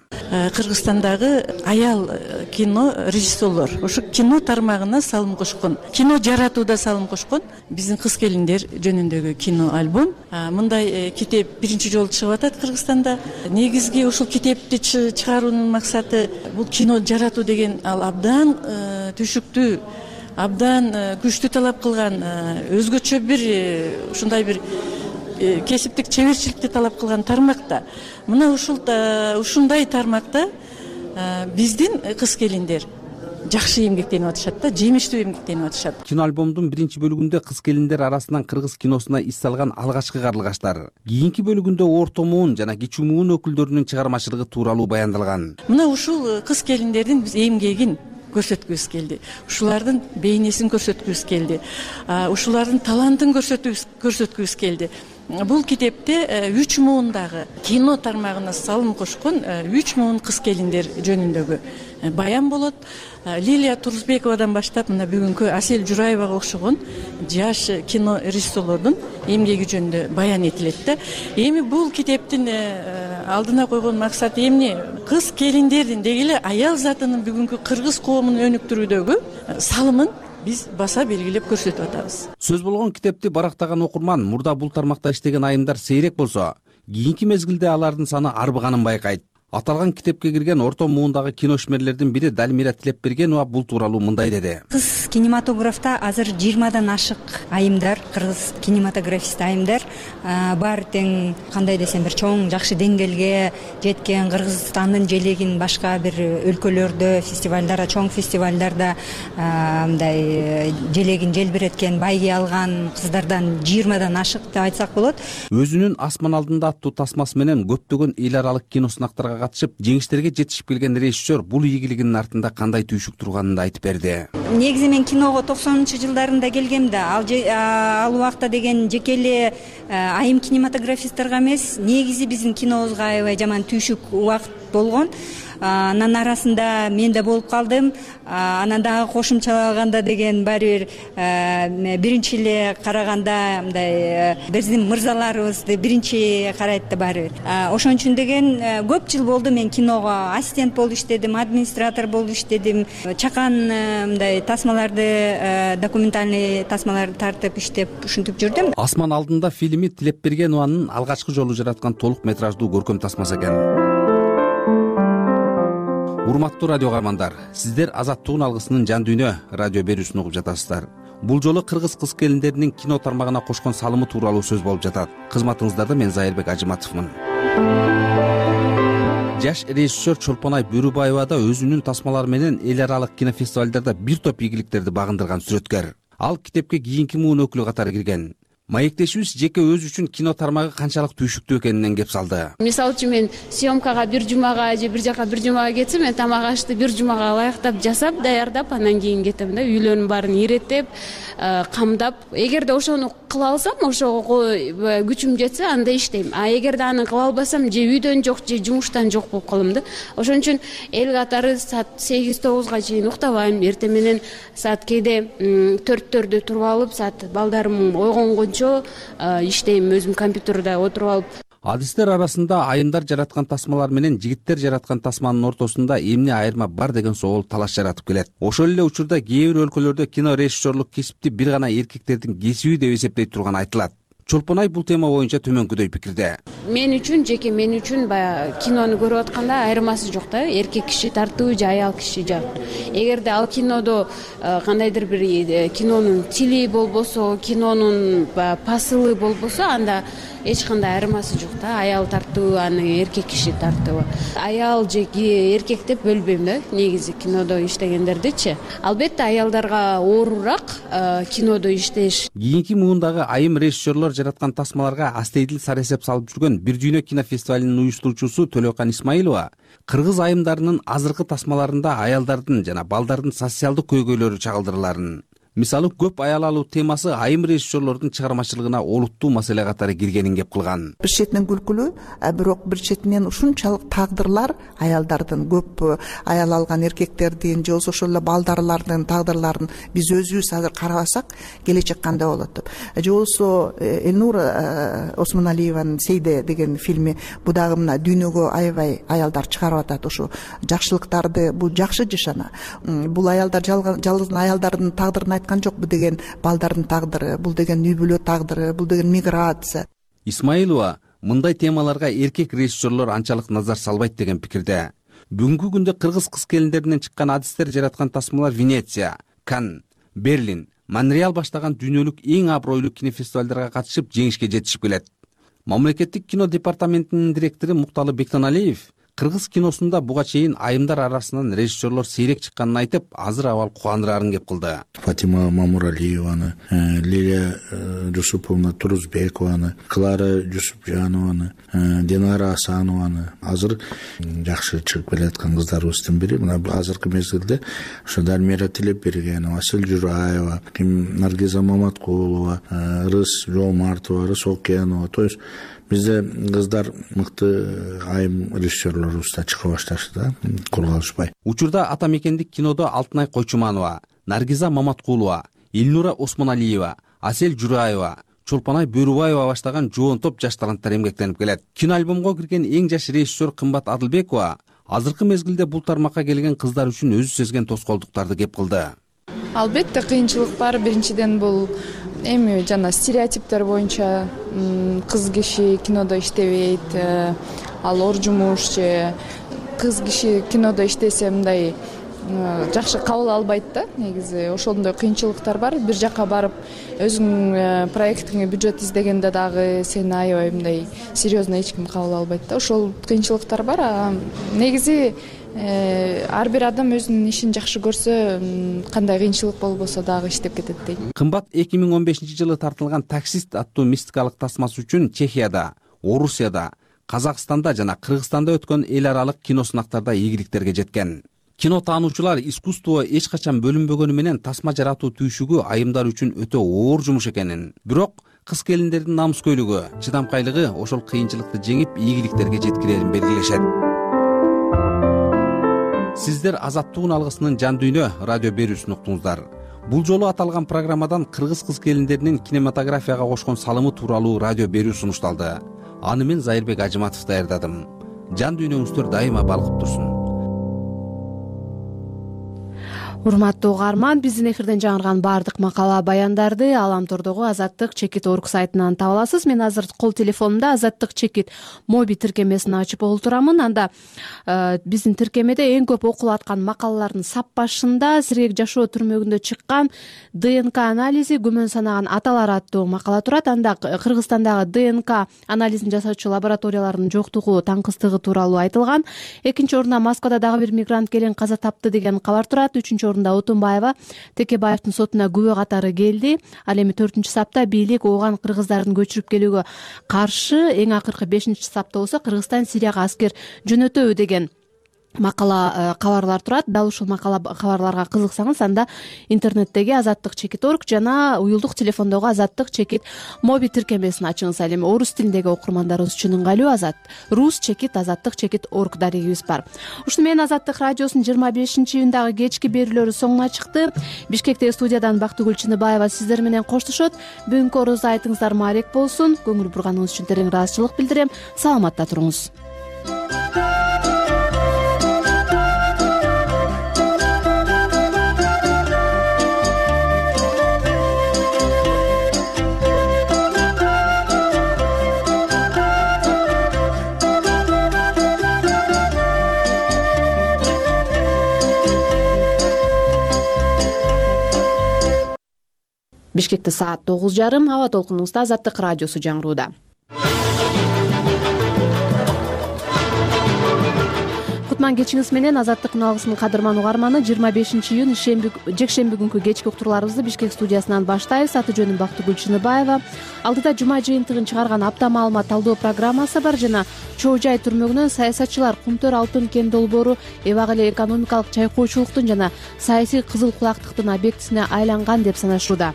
Кыргызстандагы аял кино режиссерлор ошо кино тармагына салым кошкон, кино жаратууда салым кошкон. Биздин кыз келиндер жөнүндөгү кино альбом. Мындай китеп биринчи жолу чыгып атат Кыргызстанда. Негизги ушул китепти чыгаруунун максаты бул кино жаратуу деген ал абдан түйшүктүү, абдан күчтүү талап кылган, өзгөчө бир ушундай бир кесиптик чеберчиликти талап кылган тармакта. Мына ушундай тармакта биздин кыз келиндер жакшы эмгектенип атышат да, жемиштүү эмгектенип атышат. Кино альбомдун биринчи бөлүгүндө кыз келиндер арасынан кыргыз киносуна ис салган алгачкы карлыгаштар, кийинки бөлүгүндө орто муун жана кичүү муун өкүлдөрүнүн чыгармачылыгы тууралуу баяндалган. Мына ушул кыз келиндердин биз эмгегин көрсөткүбүз келди. Ушулардын бейнесин көрсөткүбүз келди. Ушулардын талантын көрсөткүбүз келди. Бул китепте 3 муундагы кино тармагына салым кошкон 3 муун кыз келиндер жөнүндөгү баян болот. Лилия Турузбековадан баштап мына бүгүнкү Асель Жураевага окшогон жаш кино режиссерлордун эмгеги жөнүндө баян этилет да. Эми бул китептин алдына койгон максаты эмне? Кыз келиндердин деги эле аял затынын бүгүнкү кыргыз коомун өнүктүрүүдөгү салымын биз баса белгилеп көрсөтүп атабыз. Сөз болгон китепти барактаган окурман мурда бул тармакта иштеген айымдар сейрек болсо, кийинки мезгилде алардын саны арбыганын байкайт. Аталган китепке кирген орто муундагы киношмерлердин бири Далмира Тилепбергенова бул тууралуу мындай деди. Кыз кинематографта азыр 20дан ашык айымдар, кыргыз кинематографист айымдар бар, тең кандай десем бир чоң жакшы деңгээлге жеткен, Кыргызстандын желегин башка бир өлкөлөрдө, фестивалдарда, чоң фестивалдарда мындай желегин желбиреткен, байге алган кыздардан 20дан ашык деп айтсак болот. Өзүнүн Асман алдында аттуу тасмасы менен көптөгөн эл аралык киносунактарга катышып, жеңиштерге жетишип келген режиссер бул ийгилигинин артында кандай түйшүк турганын да айтып берди. Негизи мен киного 90-жылдарында келгем да, ал убакта деген жеке эле айым кинематографисттерге эмес, негизи биздин кинобузга аябай жаман түйшүк убакыт болгон. Анын арасында мен да болуп калдым. Анан дагы кошумчалаганда деген баары бир биринчи эле караганда мындай биздин мырзаларыбызды биринчи карайт да баары бир. Ошон үчүн деген көп жыл болду мен киного ассистент болуп иштедим, администратор болуп иштедим. Чакан мындай тасмаларды, документальный тасмаларды тартып иштеп ушинтип жүрдүм. Асман алдында фильми Тилепбергенованын алгачкы жолу жараткан толук метраждуу көркөм тасмасы экен. Урматтуу радио каармандар, сиздер Азаттыгын алгысынын жан дүйнө радио берүүсүн угуп жатасыздар. Бул жолу кыргыз кыз келиндеринин кино тармагына кошкон салымы тууралуу сөз болуп жатат. Кызматыңыздарда мен Зайырбек Ажыматовмун. Жаш режиссер Чолпонай Бөрүбаева да өзүнүн тасмалары менен эл аралык кинофестивалдарда бир топ ийгиликтерди багындырган сүрөткөр. Ал китепке кийинки муун өкүлү катары кирген. Маектешибиз жеке өзү үчүн кино тармагы канчалык түйшүктүү экенинен кеп салды. Мисалы үчүн мен съемкага бир жумага же бир жака бир жумага кетсем, мен тамак ашты бир жумага ылайыктап жасап, даярдап, анан кийин кетем да, үйлөрүнүн баарын иреттеп, камдап. Эгерде ошону кыла алсам, ошого күчүм жетсе, анда иштейм. А эгерде аны кыла албасам, же үйдөн жок, же жумуштан жок болуп калам да. Ошон үчүн эл катары саат 8-9га чейин уктабайм. Эртең менен саат кээде 4-төрдө туруп алып, саат балдарым ойгонгон боюнча иштейм, өзүм компьютерде отуруп алып. Адистер арасында айымдар жараткан тасмалар менен жигиттер жараткан тасманын ортосунда эмне айырма бар деген соол талаш жаратып келет. Ошол эле учурда кээ бир өлкөлөрдө кино режиссерлук кесипти бир гана эркектердин кесиби деп эсептей турган айтылат. Чолпонай бул тема боюнча төмөнкүдөй пикирде. Мен үчүн баягы кинону көрүп атканда айырмасы жок да, эркек киши тартуу же аял киши жак. Эгерде ал кинодо кандайдыр бир кинонун тили болбосо, кинонун посылы болбосо, анда эч кандай айырмасы жок да. Аял тартуу, аны эркек киши тартуу. Аял же эркек деп бөлбөйм да, негизи кинодо иштегендердичи. Албетте аялдарга оорураак кинодо иштеш. Кийинки муундагы айым режиссерлор жараткан тасмаларга астейдил сар эсеп салып жүргөн Бир дүйнө кинофестивалынын уюштуруучусу Төлөкан Исмаилова кыргыз айымдарынын азыркы тасмаларында аялдардын жана балдардын социалдык көйгөйлөрү чагылдырыларын, мисалы көп аял алуу темасы айым режиссерлордун чыгармачылыгына олуттуу маселе катары киргенин кеп кылган. Бир четинен күлкүлүү, бирок бир четинен ушунчалык тагдырлар аялдардын, көп аял алган эркектердин же болбосо ошол эле балдарлардын тагдырларын биз өзүбүз азыр карабасак келечек кандай болот деп. Же болбосо Элнура Осмоналиеванын Сейде деген фильми, бул дагы мына дүйнөгө аябай аялдар чыгарып атат ушу жакшылыктарды, бул жакшы жашана. Бул аялдар жалгыз аялдардын тагдырын жок, бул деген балдардын тагдыры, бул деген үй бүлө тагдыры, бул деген миграция. Исмаилова мындай темаларга эркек режиссерлор анчалык назар салбайт деген пикирде. Бүгүнкү күндө кыргыз кыз келиндеринен чыккан адистер жараткан тасмалар Венеция, Канн, Берлин, Монреаль баштаган дүйнөлүк эң абройлуу кинофестивалдарга катышып жеңишке жетишип келет. Мамлекеттик кино департаментинин директору Мукталы Бектаналиев кыргыз киносунда буга чейин айымдар арасынан режиссерлор сейрек чыкканын айтып, азыр абал кубандырарын кеп кылды. Фатима Мамуралиеваны, Лилия Жусуповна Турузбекованы, Клара Жусупжанованы, Динара Асанованы азыр жакшы чыгып келаткан кыздарыбыздын бири. Мына азыркы мезгилде ошо Дармира Тилепбергенова, Асель Жураева, Наргиза Маматкулова, Рыс Жолмартова, Рыс Окенова. То есть бизде кыздар мыкты айым режиссерлорубузда чыга башташты да, кургалышпай. Учурда ата мекендик кинодо Алтынай Койчуманова, Наргиза Маматкулова, Элнура Осмоналиева, Асель Жураева, Чолпонай Бөрүбаева баштаган жоон топ жаш таланттар эмгектенип келет. Кино альбомго кирген эң жаш режиссер Кымбат Адылбекова азыркы мезгилде бул тармакка келген кыздар үчүн өзү сезген тоскоолдуктарды кеп кылды. Албетте кыйынчылык бар. Биринчиден бул эми жана стереотиптер боюнча кыз киши кинодо иштебейт, ал ор жумуш же кыз киши кинодо иштесе мындай жакшы кабыл албайт да. Негизи ошондой кыйынчылыктар бар. Бир жакка барып өзүң проектиңе бюджет издегенде дагы сени аябай мындай серьезно эч ким кабыл албайт да. Ошол кыйынчылыктар бар. Негизи ар бир адам өзүнүн ишин жакшы көрсө, кандай кыйынчылык болбосо дагы иштеп кетет дейт. Кымбат 2015-жылы тартылган Таксист аттуу мистикалык тасмасы үчүн Чехияда, Орусияда, Казакстанда жана Кыргызстанда өткөн эл аралык кино сынактарда ийгиликтерге жеткен. Кино таануучулар искусство эч качан бөлүнбөгөнү менен тасма жаратуу түйшүгү айымдар үчүн өтө оор жумуш экенин, бирок кыз келиндердин намыскөйлүгү, чыдамкайлыгы ошол кыйынчылыкты жеңип ийгиликтерге жеткирерин белгилешет. Сиздер Азаттыгын алгысынын Жан дүйнө радио берүүсүн уктуңуздар. Бул жолу аталган программадан кыргыз кыз келиндеринин кинематографияга кошкон салымы тууралуу радио берүү сунушталды. Аны мен Зайырбек Ажыматов даярдадым. Жан дүйнөңүздөр дайыма балкып турсун. Урматтуу угарман, биздин эфирден жаңырган баардык макала баяндарды Аламтордогу Азаттык чекит орг сайтынан таба аласыз. Мен азыр кол телефонумда Азаттык чекит моби тиркемесин ачып олтурамын. Анда биздин тиркемеде эң көп окулуп аткан макалалардын сап башында сирек жашоо түрмөгүндө чыккан ДНК анализи күмөн санаган аталар аттуу макала турат. Анда Кыргызстандагы ДНК анализин жасоочу лабораториялардын жоктугу, таңкыстыгы тууралуу айтылган. Экинчи орунда Москвада дагы бир мигрант келин каза тапты деген кабар турат. Үчүнчү орунда Отунбаева Текебаевдин сотуна күбө катары келди. Ал эми 4-сапта бийлик ооган кыргыздардын көчүрүп келүүгө каршы, эң акыркы 5-сапта болсо Кыргызстан Сирияга аскер жөнөтөбү деген макала кабарлар турат. Дал ушул макала кабарларга кызыксаңыз, анда интернеттеги Азаттык.org жана уюлдук телефондогу Азаттык моби тиркемесин ачыңыз. Ал эми орус тилиндеги окурмандарыбыз үчүн ыңгайлуу Азаттык.org дарегибиз бар. Ушуну менен Азаттык радиосунун 25-июндагы кечки берүүлөрү соңуна чыкты. Бишкектеги студиядан Бактыгүл Чыныбаева сиздер менен коштошот. Бүгүнкү орозо айтыңыздар маалек болсун. Көңүл бурганыңыз үчүн терең ыраазычылык билдирем. Саламатта туруңуз. Бишкекте саат 9:30. Аба толкунубузда Азаттык радиосу жаңырууда. Кутман кечиңиз менен Азаттык алгысынын кадырман угарманы 25-июнь жекшемби күнкү кечки уктурууларыбызды Бишкек студиясынан баштайбыз. Аты жөнүм Бактыгүл Чыныбаева. Алдыда жума жыйынтыгын чыгарган апта маалымат талдоо программасы бар жана Чоо жай түрмөгүнөн саясатчылар Кумтөр алтын кен долбоору эбак эле экономикалык чайкоочулуктун жана саясий кызыл кулактыктын объектисине айланган деп санашууда.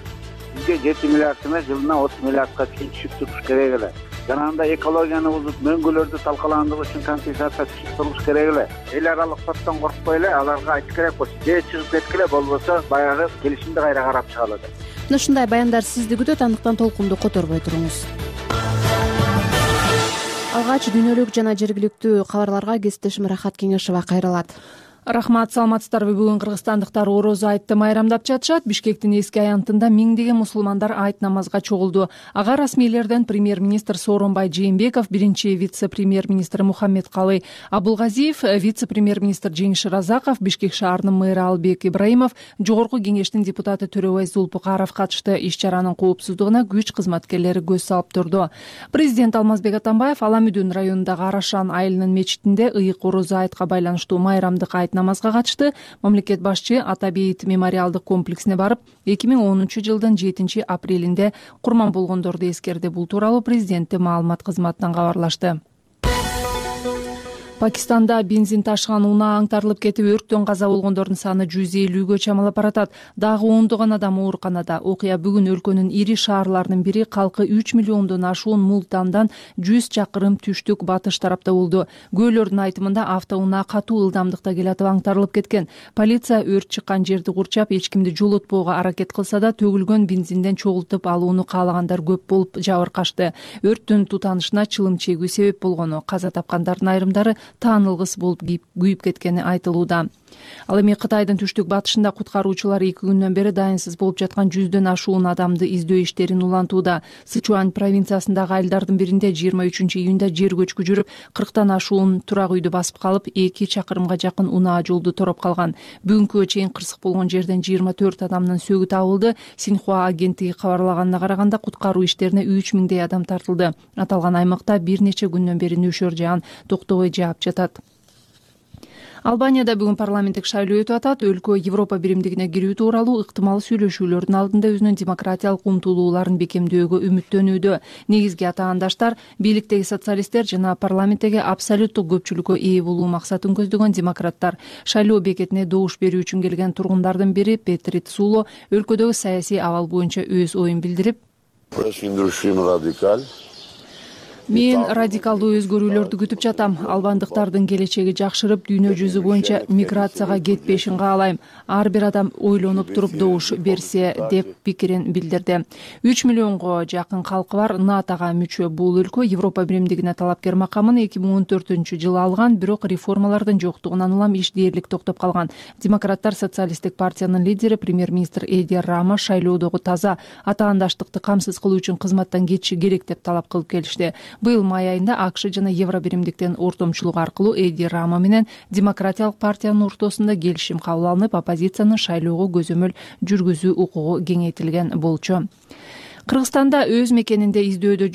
Бизге 7 миллиард эмес, жылына 30 миллиардка чейин түшүп туруш керек эле. Жана анда экологияны бузуп, мөңгүлөрдү талкаландыруу үчүн компенсация түшүп туруш керек эле. Эл аралык соттон коркпой эле аларга айтыш керек болчу. Же чыгып кеткиле, болбосо баягы келишимди кайра карап чыгалы деп. Мына ушундай баяндар сизди күтөт, андыктан толкунду которбой туруңуз. Алгач дүйнөлүк жана жергиликтүү кабарларга кесиптешим Рахат Кеңешова кайрылат. Рахмат, саламатсыздарбы? Бүгүн кыргызстандыктар орозо айтты майрамдап жатышат. Бишкектин эски аянтында миңдеген мусулмандар айт намазга чогулду. Ага расмийлерден премьер-министр Сооронбай Жээнбеков, биринчи вице-премьер-министр Мухаммедкалый Абулгазиев, вице-премьер-министр Жеңиш Разаков, Бишкек шаарынын мэрі Албек Ибраимов, жогорку кеңештин депутаты Төрөбай Зулпукаров катышты. Иш чаранын коопсуздугуна күч кызматкерлери көз салып турду. Президент Алмазбек Атамбаев Аламүдүн районундагы Арашан айылынын мечитинде ыйык орозо айтка байланыштуу майрамдык айт намазга катышты. Мамлекет башчы Атабейит мемориалдык комплексине барып, 2010-жылдын 7 апрелинде курман болгондорду эскерди. Бул тууралуу президенттин маалымат кызматынан кабарлашты. Пакистанда бензин ташыган унаа аңтарылып кетип, өрттөн каза болгондордун саны 150гө чамалап баратат. Дагы ондогон адам ооруканада. Окуя бүгүн өлкөнүн ири шаарларынын бири, калкы 3 миллиондон ашуун Мултандан 100 чакырым түштүк батыш тарапта болду. Күбөлөрдүн айтымында автоунаа катуу ылдамдыкта келатып аңтарылып кеткен. Полиция өрт чыккан жерди курчап, эч кимди жолотпоого аракет кылса да, төгүлгөн бензинден чогултуп алууну каалагандар көп болуп жабыркашты. Өрттүн тутанышына чылым чегүү себеп болгону, каза тапкандардын айрымдары таанылгыс болуп күйүп кеткени айтылууда. Ал эми Кытайдын түштүк батышында куткаруучулар 2 күндөн бери дайынсыз болуп жаткан 100дөн ашуун адамды издөө иштерин улантууда. Сычуань провинциясындагы айылдардын биринде 23-июнда жер көчкү жүрүп, 40тан ашуун турак үйдү басып калып, 2 чакырымга жакын унаа жолду тороп калган. Бүгүнкү чейин кырсык болгон жерден 24 адамдын сөөгү табылды. Синьхуа агенттиги кабарлаганына караганда, куткаруу иштерине 3000дей адам тартылды. Аталган аймакта бир нече күндөн бери нөшөр жаан токтобой жаап жатат. Албанияда бүгүн парламенттик шайлоо өтүп атат. Өлкө Европа биримдигине кирүү тууралуу ыктымал сүйлөшүүлөрдүн алдында өзүнүн демократиялык умтулууларын бекемдөөгө үмүттөнүүдө. Негизги атаандаштар бийликтеги социалисттер жана парламенттеги абсолюттук көпчүлүккө ээ болуу максатын көздөгөн демократтар. Шайлоо бекетине добуш берүү үчүн келген тургундардын бири Петри Цуло өлкөдөгү саясий абал боюнча өз оюн билдирип, мен радикалдуу өзгөрүүлөрдү күтүп жатам. Албандыктардын келечеги жакшырып, дүйнө жүзү боюнча миграцияга кетпешин каалайм. Ар бир адам ойлонуп туруп добуш берсе деп пикирин билдирди. 3 миллионго жакын калкы бар НАТОга мүчө бул өлкө Европа биримдигине талапкер макамын 2014-жылы алган, бирок реформалардын жоктугунан улам иш дээрлик токтоп калган. Демократтар социалисттик партиянын лидери премьер-министр Эди Рама шайлоодогу таза атаандаштыкты камсыз кылуу үчүн кызматтан кетиши керек деп талап кылып келишти. Быйыл май айында АКШ жана Евро биримдиктен ортомчулук аркылуу Эди Рама менен демократиялык партиянын ортосунда келишим кабыл алынып, оппозициянын шайлоого көзөмөл жүргүзүү укугу кеңейтилген болчу. Кыргызстанда өз мекенинде издөөдө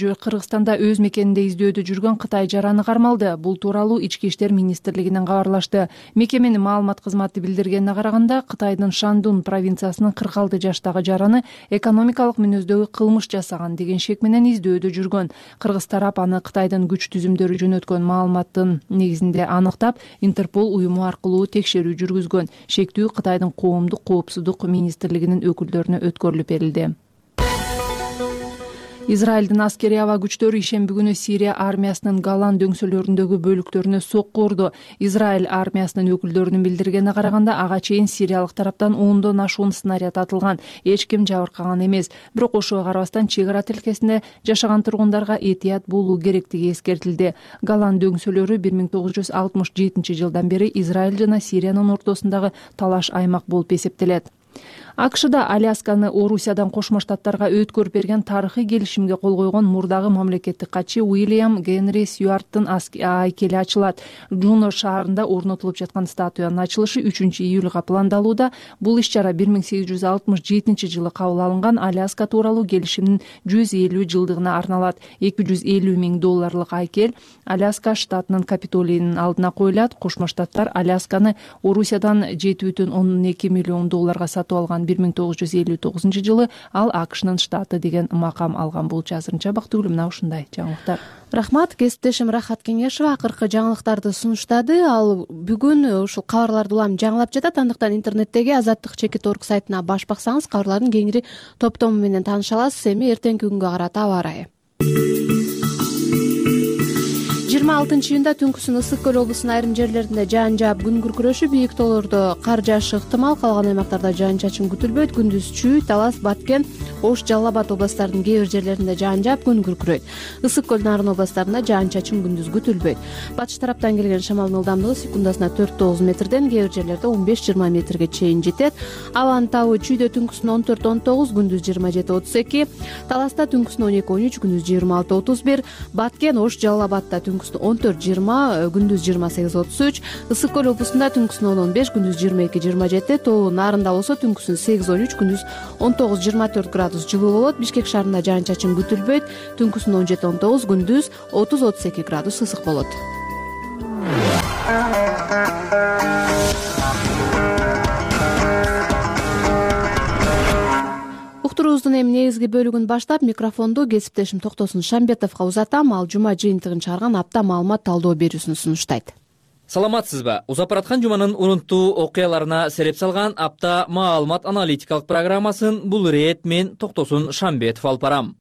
жүргөн Кытай жараны кармалды. Бул тууралуу Ички иштер министрлигинен кабарлашты. Мекеменин маалымат кызматы билдиргенине караганда, Кытайдын Шандун провинциясынын 46 жаштагы жараны экономикалык мүнөздөгү кылмыш жасаган деген шек менен издөөдө жүргөн. Кыргыз тарап аны Кытайдын күч түзүмдөрү жөнөткөн маалыматтын негизинде аныктап, Интерпол уюму аркылуу текшерүү жүргүзгөн. Шектүү Кытайдын коомдук коопсуздук министрлигинин өкүлдөрүнө өткөрүлүп берилди. Израилдин аскерий аба күчтөрү ишемби күнү Сирия армиясынын Голан дөңсөлөрүндөгү бөлүктөрүнө сокку урду. Израиль армиясынын өкүлдөрүнүн билдиргенине караганда, ага чейин сириялык тараптан 10дон ашуун снаряд атылган. Эч ким жабыркаган эмес. Бирок ошого карабастан чек ара тилкесинде жашаган тургундарга этият болуу керектиги эскертилди. Голан дөңсөлөрү 1967 жылдан бери Израиль жана Сириянын ортосундагы талаш аймак болуп эсептелет. АКШда Алясканы Орусиядан Кошмо Штаттарга өткөрүп берген тарыхый келишимге кол койгон мурдагы мамлекеттик катчы Уильям Генри Сьюарттын айкели ачылат. Джуно шаарында орнотулуп жаткан статуянын ачылышы 3-июлга пландалууда. Бул иш-чара 1867 жылы кабыл алынган Аляска тууралуу келишимдин 150 жылдыгына арналат. $250 000 айкел Аляска штатынын Капитолийинин алдына коюлат. Кошмо Штаттар Алясканы Орусиядан $7,2 миллион сатып алган. 1959 жылы ал АКШнын штаты деген макам алган. Бул азырынча бактыгүлүм мына ушундай жаңылыктар. Рахмат, кесиптешим Рахат Кеңешова акыркы жаңылыктарды сунуштады. Ал бүгүн ушул кабарларды улам жаңылап жатат. Андыктан интернеттеги azattik.org сайтына баш баксаңыз, кабарлардын кеңири топтому менен тааныша аласыз. Эми эртеңки күнгө карата аба ырайы. 26-июнда түнкүсүн Ысык көл облусунун айрым жерлеринде жаан жаап, күн күркүрөшүп, бийик тоолордо кар жаашы ыктымал. Калган аймактарда жаан чачын күтүлбөйт. Күндүз Чүй, Талас, Баткен, Ош, Жалал Абад областарынын кээ бир жерлеринде жаан жаап, күн күркүрөйт. Ысык көл нарын областарында жаан чачын күндүз күтүлбөйт. Батыш тараптан келген шамалдын ылдамдыгы секундасына 4-9 метрден, кээ бир жерлерде 15-20 метрге чейин жетет. Абанын табы Чүйдө түнкүсүн 14-19, күндүз 27-32, Таласта түнкүсүн 12-13, күндүз 26-31, Баткен, Ош, Жалал Абадта түнкүсүн 14-20, күндүз 28-33, Ысык көл облусунда түнкүсүн 10-15, күндүз 22-27, Тоо нарында болсо түнкүсүн 8-13, күндүз 19-24 градус жылуу болот. Бишкек шаарында жаан чачын күтүлбөйт. Түнкүсүн 17-19, күндүз 30-32 градус ысык болот. Уктуруубуздун эми негизги бөлүгүн баштап, микрофонду кесиптешим Токтосун Шамбетовго узатам. Ал жума жыйынтыгын чыгарган апта маалымат талдоо берүүсүн сунуштайт. Саламатсызбы? Узапараткан жуманын урунттуу окуяларына сереп салган апта маалымат аналитикалык программасын бул ирет мен Токтосун Шамбетов алып барам.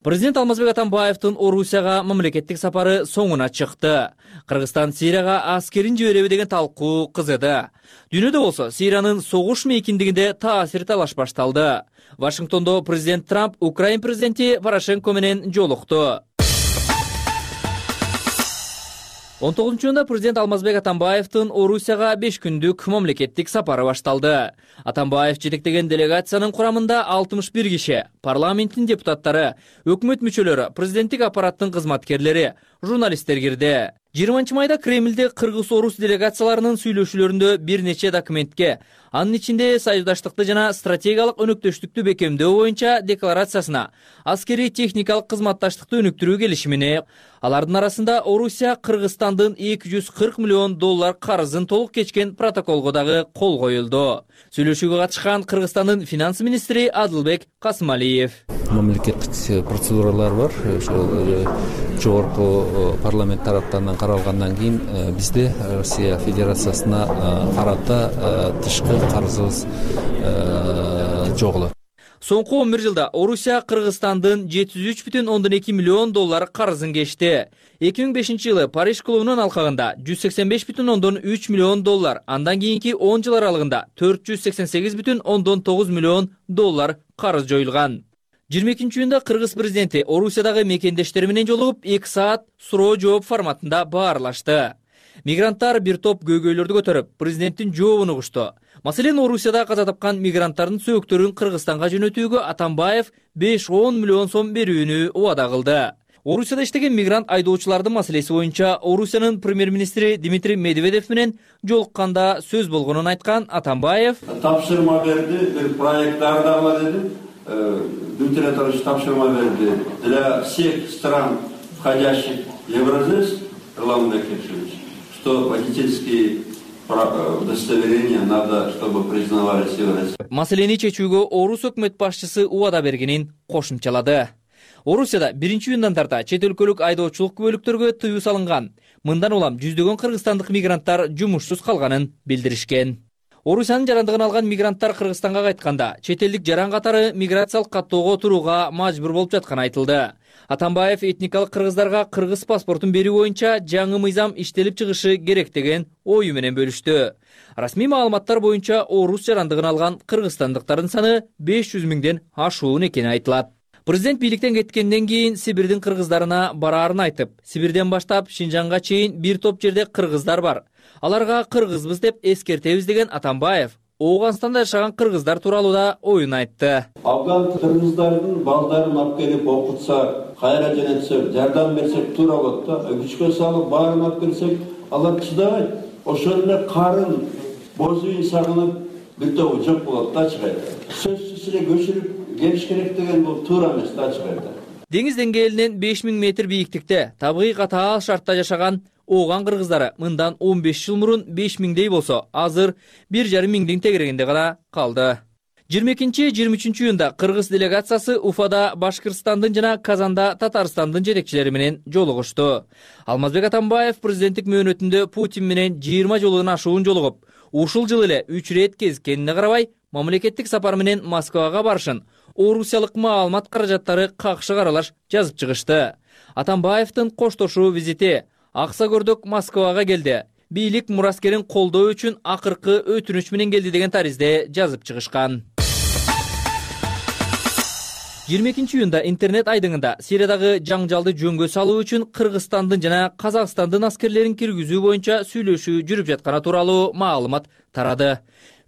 Президент Алмазбек Атамбаевдин Орусияга мамлекеттик сапары соңуна чыкты. Кыргызстан Сирияга аскерин жибереби деген талкуу кызыды. Дүйнөдө болсо Сириянын согуш мейкиндигинде таасир талаш башталды. Вашингтондо президент Трамп Украин президенти Порошенко менен жолукту. 19-июнда президент Алмазбек Атамбаевдин Орусияга 5 күндүк мамлекеттик сапары башталды. Атамбаев жетектеген делегациянын курамында 61 киши, парламенттин депутаттары, өкмөт мүчөлөрү, президенттик аппараттын кызматкерлери, журналисттер кирди. 20 майда Кремльде кыргыз-орус делегацияларынын сүйлөшүүлөрүндө бир нече документке, анын ичинде союздаштыкты жана стратегиялык өнөктөштүктү бекемдөө боюнча декларациясына, аскерий техникалык кызматташтыкты өнүктүрүү келишимине, алардын арасында Орусия Кыргызстандын $240 миллион карызын толук кечкен протоколго дагы кол коюлду. Сүйлөшүүгө катышкан Кыргызстандын финанс министри Адылбек Касымалиев. Мамлекеттик процедуралар бар. Ошол жогорку парламент тараптарынан каралгандан кийин бизде Россия Федерациясына карата тышкы карызыбыз жок болот. Соңку 11 жылда Орусия Кыргызстандын $703,2 миллион карызын кечти. 2005 жылы Париж клубунун алкагында $185,3 миллион, андан кийинки 10 жыл аралыгында $488,9 миллион карыз жоюлган. 22-июнда Кыргыз президенти Орусиядагы мекендештери менен жолугуп 2 саат суроо жооп форматында баарлашты. Мигранттар бир топ көйгөйлөрдү көтөрүп, президенттин жообун угушту. Маселен, Орусияда каза тапкан мигранттардын сөөктөрүн Кыргызстанга жөнөтүүгө Атамбаев 5-10 миллион сом берүүнү убада кылды. Орусияда иштеген мигрант айдоочулардын маселеси боюнча Орусиянын премьер-министри Дмитрий Медведев менен жолукканда сөз болгонун айткан Атамбаев: тапшырма берди, бир проекттар дагы деди. Дмитрий Анатольевич тапшырма берди для всех стран, входящих в Евразес, Ирлан Бекешевич, что водительские удостоверения надо, чтобы признавались Евразес. Маселени чечүүгө Орус өкмөт башчысы убада бергенин кошумчалады. Орусияда 1-июндан тарта чет өлкөлүк айдоочулук күбөлүктөргө тыюу салынган. Мындан улам жүздөгөн кыргызстандык мигранттар жумушсуз калганын билдиришкен. Орусиянын жарандыгын алган мигранттар Кыргызстанга кайтканда чет элдик жаран катары миграциялык каттоого турууга мажбур болуп жатканы айтылды. Атамбаев этникалык кыргыздарга кыргыз паспортун берүү боюнча жаңы мыйзам иштелип чыгышы керек деген ою менен бөлүштү. Расмий маалыматтар боюнча Орус жарандыгын алган кыргызстандыктардын саны 500 миңден ашуун экени айтылат. Президент бийликтен кеткенден кийин Сибирдин кыргыздарына бараарын айтып, Сибирден баштап Шинжанга чейин бир топ жерде кыргыздар бар. Аларга кыргызбыз деп эскертебиз деген Атамбаев Ооганстанда жашаган кыргыздар тууралуу да оюн айтты. Афган кыргыздардын балдарын алып келип окутса, кайра жөнөтсөк, жардам берсек туура болот да. Күчкө салып баарын алып келсек, алар чыдабайт. Ошол эле карын боз үйүн сагынып бир тобу жок болот да чыгайда. Сөзсүз эле көчүрүп келиш керек деген бул туура эмес да чыгайда. Деңиз деңгээлинен 5000 метр бийиктикте табигый катаал шартта жашаган Ооган кыргыздары мындан 15 жыл мурун 5000дей болсо, азыр 1,5 миңдин тегерегинде гана калды. 22-23 июнда кыргыз делегациясы Уфада Башкырстандын жана Казанда Татарстандын жетекчилери менен жолугушту. Алмазбек Атамбаев президенттик мөөнөтүндө Путин менен 20 жолудан ашуун жолугуп, ушул жыл эле 3 рет кезиккенине карабай, мамлекеттик сапар менен Москвага барышын орусиялык маалымат каражаттары какшы каралаш жазып чыгышты. Атамбаевдин коштошуу визити Акса көрдөк Москвага келди. Бийлик мураскерин колдоо үчүн акыркы өтүнүч менен келди деген таризде жазып чыгышкан. 22 июнда интернет айдыңында Сириядагы жаңжалды жөнгө салуу үчүн Кыргызстандын жана Казакстандын аскерлерин киргизүү боюнча сүйлөшүү жүрүп жатканы тууралуу маалымат тарады.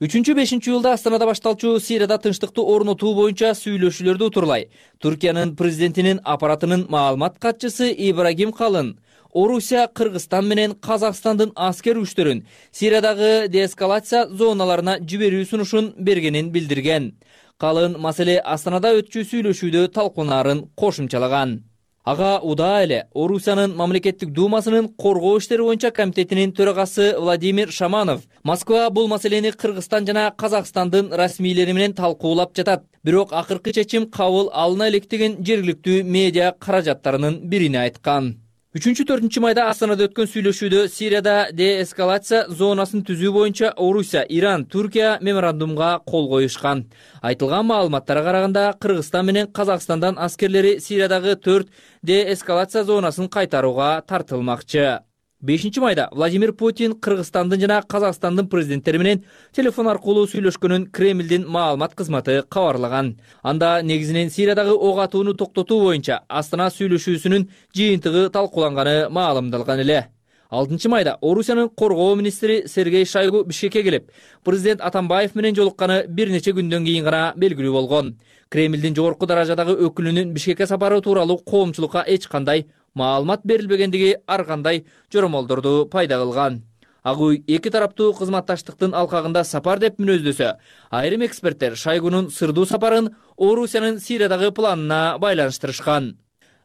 3-5 июлда Астанада башталчу Сирияда тынчтыкты орнотуу боюнча сүйлөшүүлөрдү утурлай Түркиянын президентинин аппаратынын маалымат катчысы Ибрагим Калын Орусия Кыргызстан менен Казакстандын аскер күчтөрүн Сириядагы деэскалация зоналарына жиберүү сунушун бергенин билдирген. Калын маселе Астанада өтчү сүйлөшүүдө талкунаарын кошумчалаган. Ага удаа эле Орусиянын мамлекеттик думасынын коргоо иштери боюнча комитетинин төрагасы Владимир Шаманов Москва бул маселени Кыргызстан жана Казакстандын расмийлери менен талкуулап жатат. Бирок акыркы чечим кабыл алына электеген жергиликтүү медиа каражаттарынын бирине айткан. 3-4 майда Астанада өткөн сүйлөшүүдө Сирияда деэскалация зонасын түзүү боюнча Орусия, Иран, Түркия меморандумга кол коюшкан. Айтылган маалыматтарга караганда Кыргызстан менен Казакстандан аскерлери Сириядагы 4 деэскалация зонасын кайтарууга тартылмакчы. 5 майда Владимир Путин Кыргызстандын жана Казакстандын президенттери менен телефон аркылуу сүйлөшкөнүн Кремлдин маалымат кызматы кабарлаган. Анда негизинен Сириядагы ок атууну токтотуу боюнча Астана сүйлөшүүсүнүн жыйынтыгы талкууланганы маалымдалган эле. 6 майда Орусиянын коргоо министри Сергей Шойгу Бишкекке келип, президент Атамбаев менен жолукканы бир нече күндөн кийин гана белгилүү болгон. Кремлдин жогорку даражадагы өкүлүнүн Бишкекке сапары тууралуу коомчулукка эч кандай маалымат берилбегендиги ар кандай жоромолдорду пайда кылган. Агуй эки тараптуу кызматташтыктын алкагында сапар деп мүнөздөсө, айрым эксперттер Шойгунун сырдуу сапарын Орусиянын Сириядагы планына байланыштырышкан.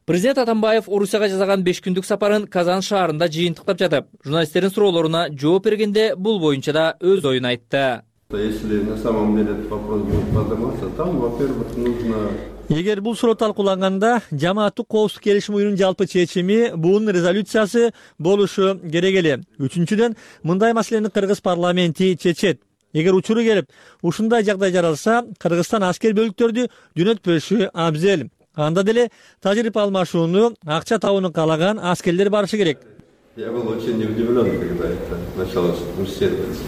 Президент Атамбаев Орусияга жасаган 5 күндүк сапарын Казан шаарында жыйынтыктап жатып, журналисттердин суроолоруна жооп бергенде бул боюнча да өз оюн айтты. Если на самом деле этот вопрос будет подниматься, там, во-первых, нужно... Эгер бул суроо талкууланганда, жамааттык коопсуздук келишим уюмунун жалпы чечими, бунун резолюциясы болушу керек эле. Үчүнчүдөн, мындай маселени кыргыз парламенти чечет. Эгер учуру келип, ушундай жагдай жаралса, Кыргызстан аскер бөлүктөрдү жөнөтпөшү абзел. Анда деле тажрыйба алмашууну, акча табууну каалаган аскерлер барышы керек. Я был очень удивлен, когда это началось муссироваться.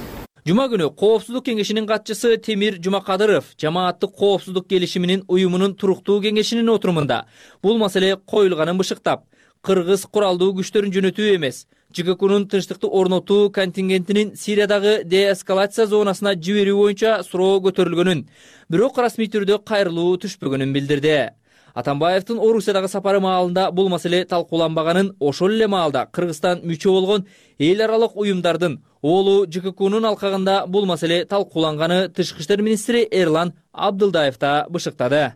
Жума күнү Коопсуздук кеңешинин катчысы Темир Жумакадыров жамааттык коопсуздук келишиминин уюмунун туруктуу кеңешинин отурумунда бул маселе коюлганын бышыктап, кыргыз куралдуу күчтөрүн жөнөтүү эмес, ЖККнун тынчтыкты орнотуу контингентинин Сириядагы деэскалация зонасына жиберүү боюнча суроо көтөрүлгөнүн, бирок расмий түрдө кайрылуу түшпөгөнүн билдирди. Атамбаевдин Орусиядагы сапары маалында бул маселе талкууланбаганын, ошол эле маалда Кыргызстан мүчө болгон эл аралык уюмдардын Оолу ЖККнун алкагында бул маселе талкууланганы Тышкы иштер министри Эрлан Абдылдаев да бышыктады.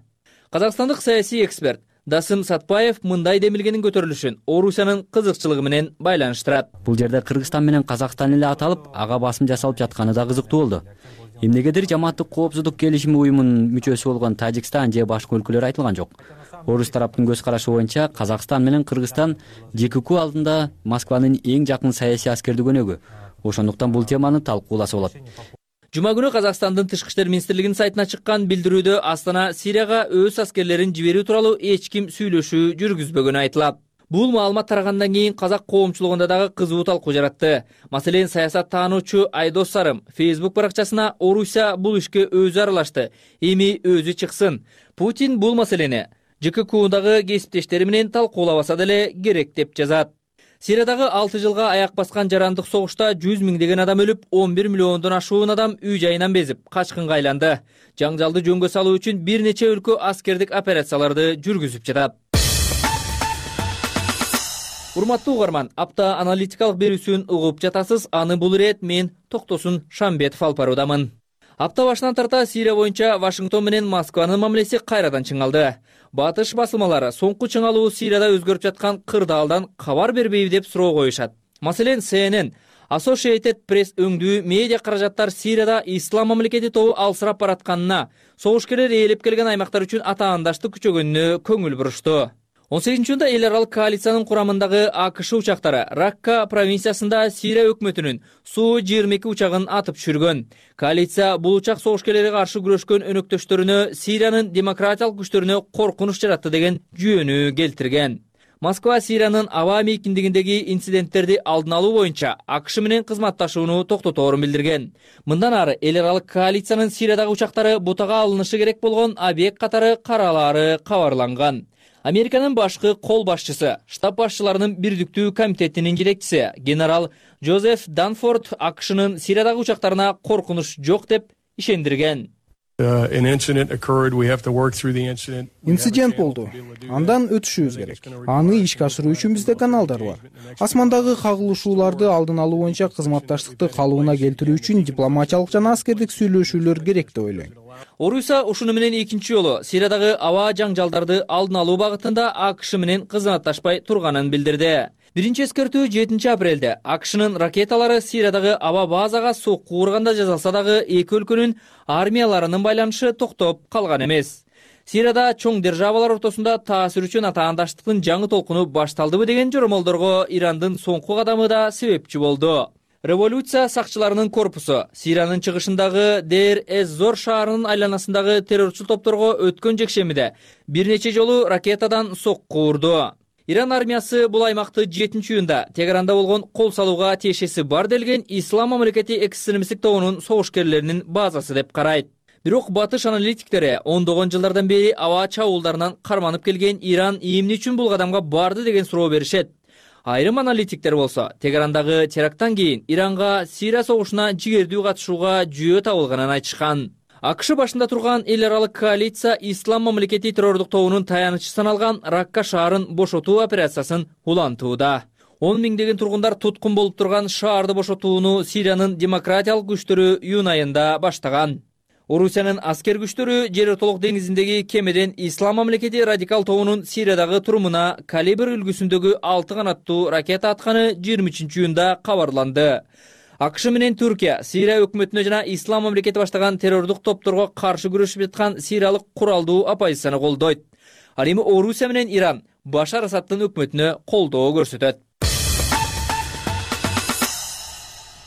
Казакстандык саясий эксперт Дасым Сатпаев мындай демилгенин көтөрүлүшүн Орусиянын кызыкчылыгы менен байланыштырат. Бул жерде Кыргызстан менен Казакстан эле аталып, ага басым жасалып жатканы да кызыктуу болду. Эмнегедир Жамааттык коопсуздук келишими уюмунун мүчөсү болгон Тажикстан же башка өлкөлөр айтылган жок. Орус тараптын көз карашы боюнча Казакстан менен Кыргызстан ЖКК алдында Москванын эң жакын саясий аскердик өнөгү. Ошондуктан бул теманы талкууласа болот. Жума күнү Казакстандын Тышкы иштер министрлигинин сайтына чыккан билдирүүдө Астана Сирияга өз аскерлерин жиберүү тууралуу эч ким сүйлөшүү жүргүзбөгөнү айтылат. Бул маалымат тарагандан кийин казак коомчулугунда дагы кызуу талкуу жаратты. Маселен, саясат таануучу Айдос Сарым Facebook баракчасына Орусия бул ишке өзү аралашты, эми өзү чыксын. Путин бул маселени ЖККдагы кесиптештери менен талкуулабаса деле керек деп жазат. Сириядагы 6 жылга аяк баскан жарандык согушта 100 миңдеген адам өлүп, 11 миллиондон ашуун адам үй жайынан безип, качкынга айланды. Жаңжалды жөнгө салуу үчүн бир нече өлкө аскердик операцияларды жүргүзүп жатат. Урматтуу угарман, апта аналитикалык берүүсүн угуп жатасыз. Аны бул ирет мен Токтосун Шамбетов алып баруудамын. Апта башынан тарта Сирия боюнча Вашингтон менен Москванын мамилеси кайрадан чыңалды. Батыш басылмалары соңку чыңалуу Сирияда өзгөрүп жаткан кырдаалдан кабар бербейби деп суроо коюшат. Маселен, CNN, Associated Press өңдүү медиа каражаттар Сирияда ислам мамлекети тобу алсырап баратканына, согушкерлер ээлеп келген аймактар үчүн атаандаштык күчөгөнүнө көңүл бурушту. 18-июнда эл аралык коалициянын курамындагы АКШ учактары Ракка провинциясында Сирия өкмөтүнүн Су-22 учагын атып түшүргөн. Коалиция бул учак согушкерлерге каршы күрөшкөн өнөктөштөрүнө Сириянын демократиялык күчтөрүнө коркунуч жаратты деген жүйөнү келтирген. Москва Сириянын аба мейкиндигиндеги инциденттерди алдын алуу боюнча АКШ менен кызматташууну токтоторун билдирген. Мындан ары эл аралык коалициянын Сириядагы учактары бутага алынышы керек болгон объект катары каралаары кабарланган. Американын башкы кол башчысы, штаб башчыларынын бирдиктүү комитетинин жетекчиси генерал Джозеф Данфорд АКШнын Сириядагы учактарына коркунуч жок деп ишендирген. Инцидент болду. Андан өтүшүбүз керек. Аны ишке ашыруу үчүн бизде каналдар бар. Асмандагы кагылышууларды алдын алуу боюнча кызматташтыкты калыбына келтирүү үчүн дипломатиялык жана аскердик сүйлөшүүлөр керек деп ойлойм. Орусия ушуну менен экинчи жолу Сириядагы аба жаңжалдарды алдын алуу багытында АКШ менен кызматташпай турганын билдирди. Биринчи эскертүү 7 апрелде АКШнын ракеталары Сириядагы аба базага сокку урганда жасалса дагы эки өлкөнүн армияларынын байланышы токтоп калган эмес. Сирияда чоң державалар ортосунда таасир үчүн атаандаштыктын жаңы толкуну башталдыбы деген жоромолдорго Ирандын соңку кадамы да себепчи болду. Революция сакчыларынын корпусу Сириянын чыгышындагы Дейр-эз-Зор шаарынын айланасындагы террорчу топторго өткөн жекшемиде бир нече жолу ракетадан сокку урду. Иран армиясы бул аймакты 7-июнда Тегеранда болгон кол салууга тиешеси бар делген Ислам мамлекети экстремисттик тобунун согушкерлеринин базасы деп карайт. Бирок батыш аналитиктери ондогон жылдардан бери аба чабуулдарынан карманып келген Иран эмне үчүн бул кадамга барды деген суроо беришет. Айрым аналитиктер болсо, Тегерандагы теракттан кийин Иранга Сирия согушуна жигердүү катышууга жүйө табылганын айтышкан. АКШ башында турган эл аралык коалиция Ислам мамлекети террордук тобунун таянычы саналган Ракка шаарын бошотуу операциясын улантууда. 10 миңдеген тургундар туткун болуп турган шаарды бошотууну Сириянын демократиялык күчтөрү июнь айында баштаган. Орусиянын аскер күчтөрү Жер ортолук деңизиндеги кемеден Ислам мамлекети радикал тобунун Сириядагы турумуна калибр үлгүсүндөгү 6 канаттуу ракета атканы 23-июнда кабарланды. АКШ менен Түркия Сирия өкмөтүнө жана Ислам мамлекети баштаган террордук топторго каршы күрөшүп жаткан сириялык куралдуу оппозицияны колдойт. Ал эми Орусия менен Иран Башар Асадтын өкмөтүнө колдоо көрсөтөт.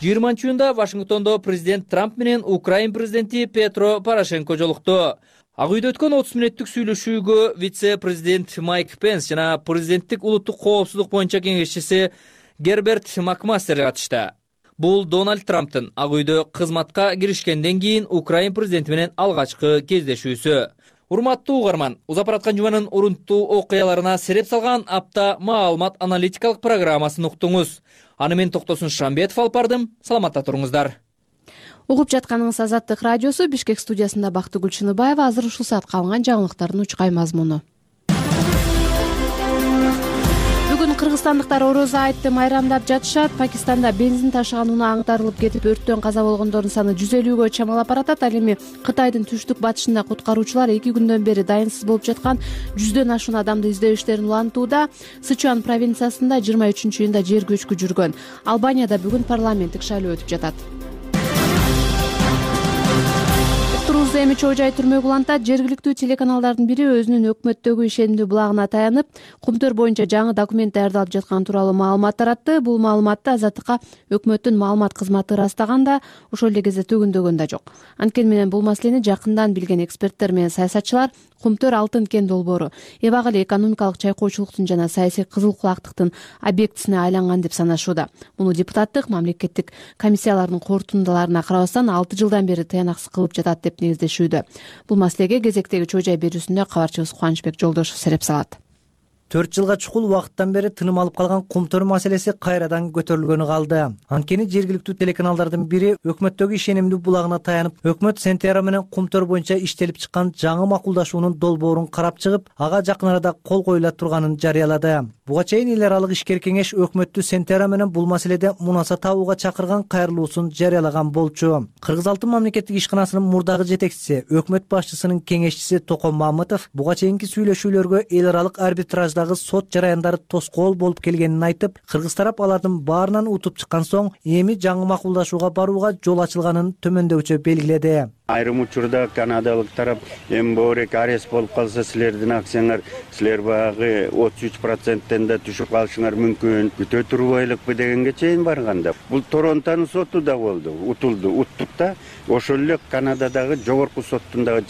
20-июнда Вашингтондо президент Трамп менен Украин президенти Петро Порошенко жолукту. Ак үйдө өткөн 30 мүнөттүк сүйлөшүүгө вице-президент Майк Пенс жана президенттик улуттук коопсуздук боюнча кеңешчиси Герберт Макмастер катышты. Бул Дональд Трамптын Ак үйдө кызматка киришкенден кийин Украин президенти менен алгачкы кездешүүсү. Урматтуу угарман, узап бараткан жуманын урунттуу окуяларына сереп салган апта маалымат аналитикалык программасын уктуңуз. Аны мен Токтосун Шамбетов алып бардым. Саламатта туруңуздар. Угуп жатканыңыз Азаттык радиосу. Бишкек студиясында Бактыгүл Чыныбаева. Азыр ушул саатка алынган жаңылыктардын учкай мазмуну. кыргызстандыктар орозо айтты майрамдап жатышат. Пакистанда бензин ташыган унаа аңтарылып кетип өрттөн каза болгондордун саны 150гө чамалап баратат. Ал эми Кытайдын түштүк батышында куткаруучулар 2 күндөн бери дайынсыз болуп жаткан 100дөн ашуун адамды издөө иштерин улантууда. Сычуан провинциясында 23-июнда жер көчкү жүргөн. Албанияда бүгүн парламенттик шайлоо өтүп жатат. Эми чоо жай түрмөгө улантат. Жергиликтүү телеканалдардын бири өзүнүн өкмөттөгү ишенимдүү булагына таянып, Кумтөр боюнча жаңы документ даярдалып жатканы тууралуу маалымат таратты. Бул маалыматты Азаттыкка өкмөттүн маалымат кызматы ырастаган да, ошол эле кезде төгүндөгөн да жок. Анткени менен бул маселени жакындан билген эксперттер менен саясатчылар Кумтөр алтын кен долбоору эбак эле экономикалык чайкоочулуктун жана саясий кызыл кулактыктын объектисине айланган деп санашууда. Муну депутаттык мамлекеттик комиссиялардын корутундаларына карабастан 6 жылдан бери тыянаксыз кылып жатат деп негиздешүүдө. Бул маселеге кезектеги чоо жай берүүсүндө кабарчыбыз Кубанычбек Жолдошов сереп салат. 4 жылга чукул убакыттан бери тыным алып калган Кумтөр маселеси кайрадан көтөрүлгөнү калды. Анткени жергиликтүү телеканалдардын бири өкмөттөгү ишенимдүү булагына таянып, өкмөт Сентера менен Кумтөр боюнча иштелип чыккан жаңы макулдашуунун долбоорун карап чыгып, ага жакын арада кол коюла турганын жарыялады. Буга чейин эл аралык ишкер кеңеш өкмөттү Сентера менен бул маселеде мунаса табууга чакырган кайрылуусун жарыялаган болчу. Кыргыз алтын мамлекеттик ишканасынын мурдагы жетекчиси, өкмөт башчысынын кеңешчиси Токон Мамытов буга чейинки сүйлөшүүлөргө эл аралык арбитраждагы сот жараяндары тоскоол болуп келгенин айтып, кыргыз тарап алардын баарынан утуп чыккан соң эми жаңы макулдашууга барууга жол ачылганын төмөндөүчө белгиледи. Айрым учурда канадалык тарап эми боорек арест болуп калса силердин акцияңар силер баягы 33%-тен да түшүп калышыңар мүмкүн, күтө турбайлыкпы дегенге чейин барганда. Бул Торонтонун соту да болду, уттук да. Ошол эле Канададагы жогорку соттун дагы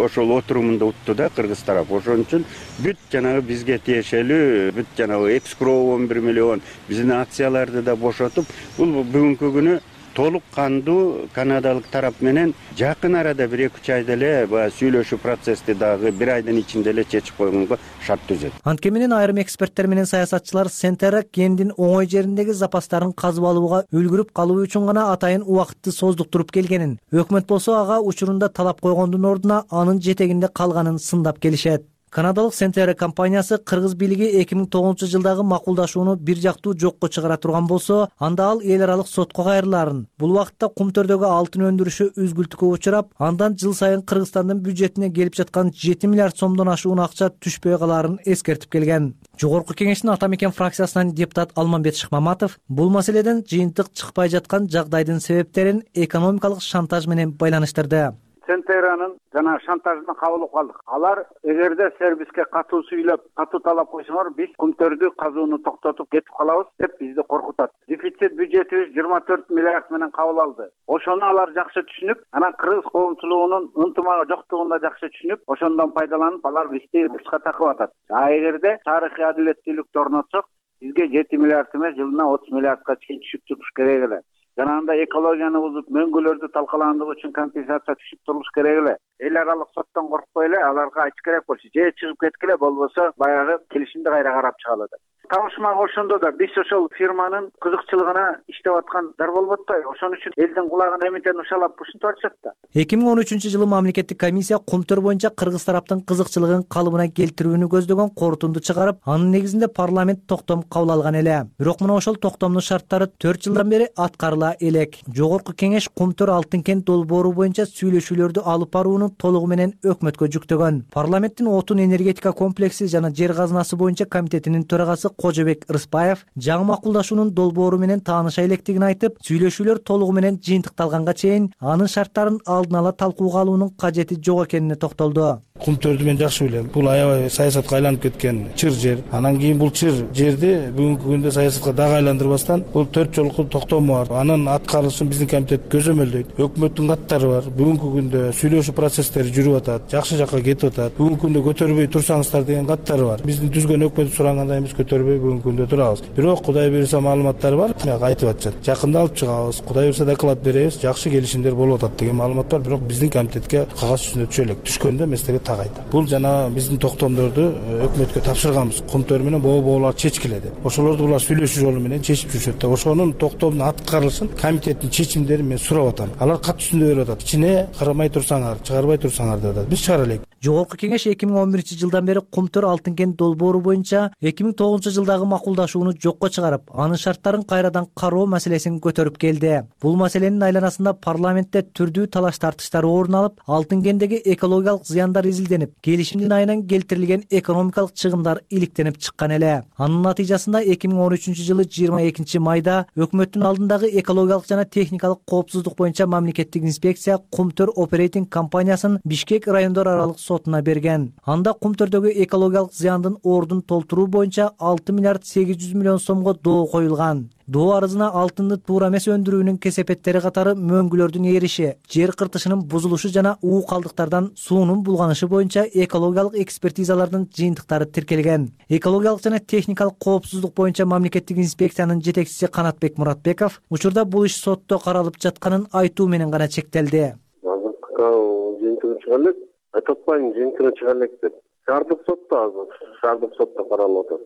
ошол отурумунда утту да кыргыз тарап. Ошон үчүн бүт жанагы бизге тиешелүү, бүт жанагы экскроу 11 миллион биздин акцияларды да бошотуп, бул бүгүнкү күнү толук кандуу канадалык тарап менен жакын арада 1-2 айда эле сүйлөшүү процессти дагы 1 айдын ичинде эле чечип койгонго шарт түзөт. Анткени менен айрым эксперттер менен саясатчылар Сентера кендин оңой жериндеги запастарын казып алууга үлгүрүп калуу үчүн гана атайын убакытты создуктуруп келгенин, өкмөт болсо ага учурунда талап койгондун ордуна анын жетегинде калганын сындап келишет. Канадалык Сентера компаниясы кыргыз бийлиги 2009-жылдагы макулдашууну бир жактуу жокко чыгара турган болсо, анда ал эл аралык сотко кайрылаарын, бул убакытта Кумтөрдөгү алтын өндүрүшү үзгүлтүккө учурап, андан жыл сайын Кыргызстандын бюджетине келип жаткан 7 миллиард сомдон ашуун акча түшпөй калаарын эскертип келген. Жогорку кеңештин Ата Мекен фракциясынан депутат Алмамбет Шыкмаматов бул маселеден жыйынтык чыкпай жаткан жагдайдын себептерин экономикалык шантаж менен байланыштырды. Сентеранын жана шантажына кабылып калдык. Алар эгерде сервиске катуу сүйлөп, катуу талап койсоңор, биз Кумтөрдү казууну токтотуп кетип калабыз деп бизди коркутат. Дефицит бюджетибиз 24 миллиард менен кабыл алды. Ошону алар жакшы түшүнүп, анан кыргыз коомчулугунун ынтымагы жоктугун да жакшы түшүнүп, ошондон пайдаланып алар бизди бышка такып атат. Эгерде тарыхый адилеттүүлүктү орнотсок, бизге 7 миллиард эмес, жылына 30 миллиардка чейин түшүп туруш керек эле. Жанагында экологияны бузуп, мөңгүлөрдү талкаландыгы үчүн компенсация түшүп туруш керек эле. Эл аралык соттон коркпой эле аларга айтыш керек болчу. Же чыгып кеткиле, болбосо баягы келишимди кайра карап чыгалы деп. Табышмак ошондо да биз ошол фирманын кызыкчылыгына иштеп аткандар болуп атпайбы? Ошон үчүн элдин кулагын эмитен ушалап ушинтип атышат да. 2013-жылы мамлекеттик комиссия Кумтөр боюнча кыргыз тараптын кызыкчылыгын калыбына келтирүүнү көздөгөн корутунду чыгарып, анын негизинде парламент токтом кабыл алган эле. Бирок мына ошол токтомдун шарттары 4 жылдан бери аткарыла элек. Жогорку кеңеш Кумтөр алтын кен долбоору боюнча сүйлөшүүлөрдү алып барууну толугу менен өкмөткө жүктөгөн. Парламенттин отун энергетика комплекси жана жер казынасы боюнча комитетинин төрагасы Кожобек Рыспаев жаңы макулдашуунун долбоору менен тааныша электигин айтып, сүйлөшүүлөр толугу менен жыйынтыкталганга чейин анын шарттарын алдын ала талкууга алуунун кажети жок экенине токтолду. Кумтөрдү мен жакшы билем. Бул аябай саясатка айланып кеткен чыр жер. Анан кийин бул чыр жерди бүгүнкү күндө саясатка дагы айландырбастан бул 4 жолку токтому бар. Анын аткарылышын биздин комитет көзөмөлдөйт. Өкмөттүн каттары бар. Бүгүнкү күндө сүйлөшүү процесстери жүрүп атат, жакшы жакка кетип атат. Бүгүнкү күндө көтөрбөй турсаңыздар деген каттары бар. Биздин түзгөн өкмөт сураганда биз көтөрбөй бүгүнкү күндө турабыз. Бирок Кудай буйруса маалыматтар бар, айтып атышат. Жакында алып чыгабыз, Кудай буйруса доклад беребиз, жакшы келишимдер болуп атат деген маалымат бар. Бирок биздин комитетке кагаз жүзүндө түшө элек. Түшкөндө эместеге тагайт. Бул жана биздин токтомдорду өкмөткө тапшырганбыз. Кумтөр менен боолар чечкиле деп. Ошолорду булар сүйлөшүү жолу менен чечип жүрүшөт да. Ошонун токтомдун аткарылышын комитеттин чечимдерин мен сурап атам. Алар кат жүзүндө берип атат. Ичине карабай турсаңар, чыгарбай турсаңар деп атат. Биз чыгара элек. Жогорку кеңеш 2011-жылдан бери Кумтөр алтын кен долбоору боюнча 2009-жылдагы макулдашууну жокко чыгарып, анын шарттарын кайрадан кароо маселесин көтөрүп келди. Бул маселенин айланасында парламентте түрдүү талаш тартыштар орун алып, алтын кендеги экологиялык зыяндар изилденип, келишимдин айынан келтирилген экономикалык чыгымдар иликтенип чыккан эле. Анын натыйжасында 2013-жылы 22 майда өкмөттүн алдындагы экологиялык жана техникалык коопсуздук боюнча мамлекеттик инспекция Кумтөр оперейтинг компаниясын Бишкек райондор аралык сотуна берген. Анда Кумтөрдөгү экологиялык зыяндын ордун толтуруу боюнча 6 миллиард 800 миллион сомго доо коюлган. Доо арызына алтынды туура эмес өндүрүүнүн кесепеттери катары мөңгүлөрдүн эриши, жер кыртышынын бузулушу жана уу калдыктардан суунун булганышы боюнча экологиялык экспертизалардын жыйынтыктары тиркелген. Экологиялык жана техникалык коопсуздук боюнча мамлекеттик инспекциянын жетекчиси Канатбек Муратбеков учурда бул иш сотто каралып жатканын айтуу менен гана чектелди. Жыйынтыгы чыга элек, айтып атпайм, жыйынтыгы чыга элек деп. Шаардык сотто каралып атат.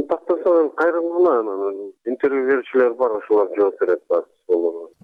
Тактаса кайрылгына интервью берүүчүлөр бар, ошолор жооп берет баары.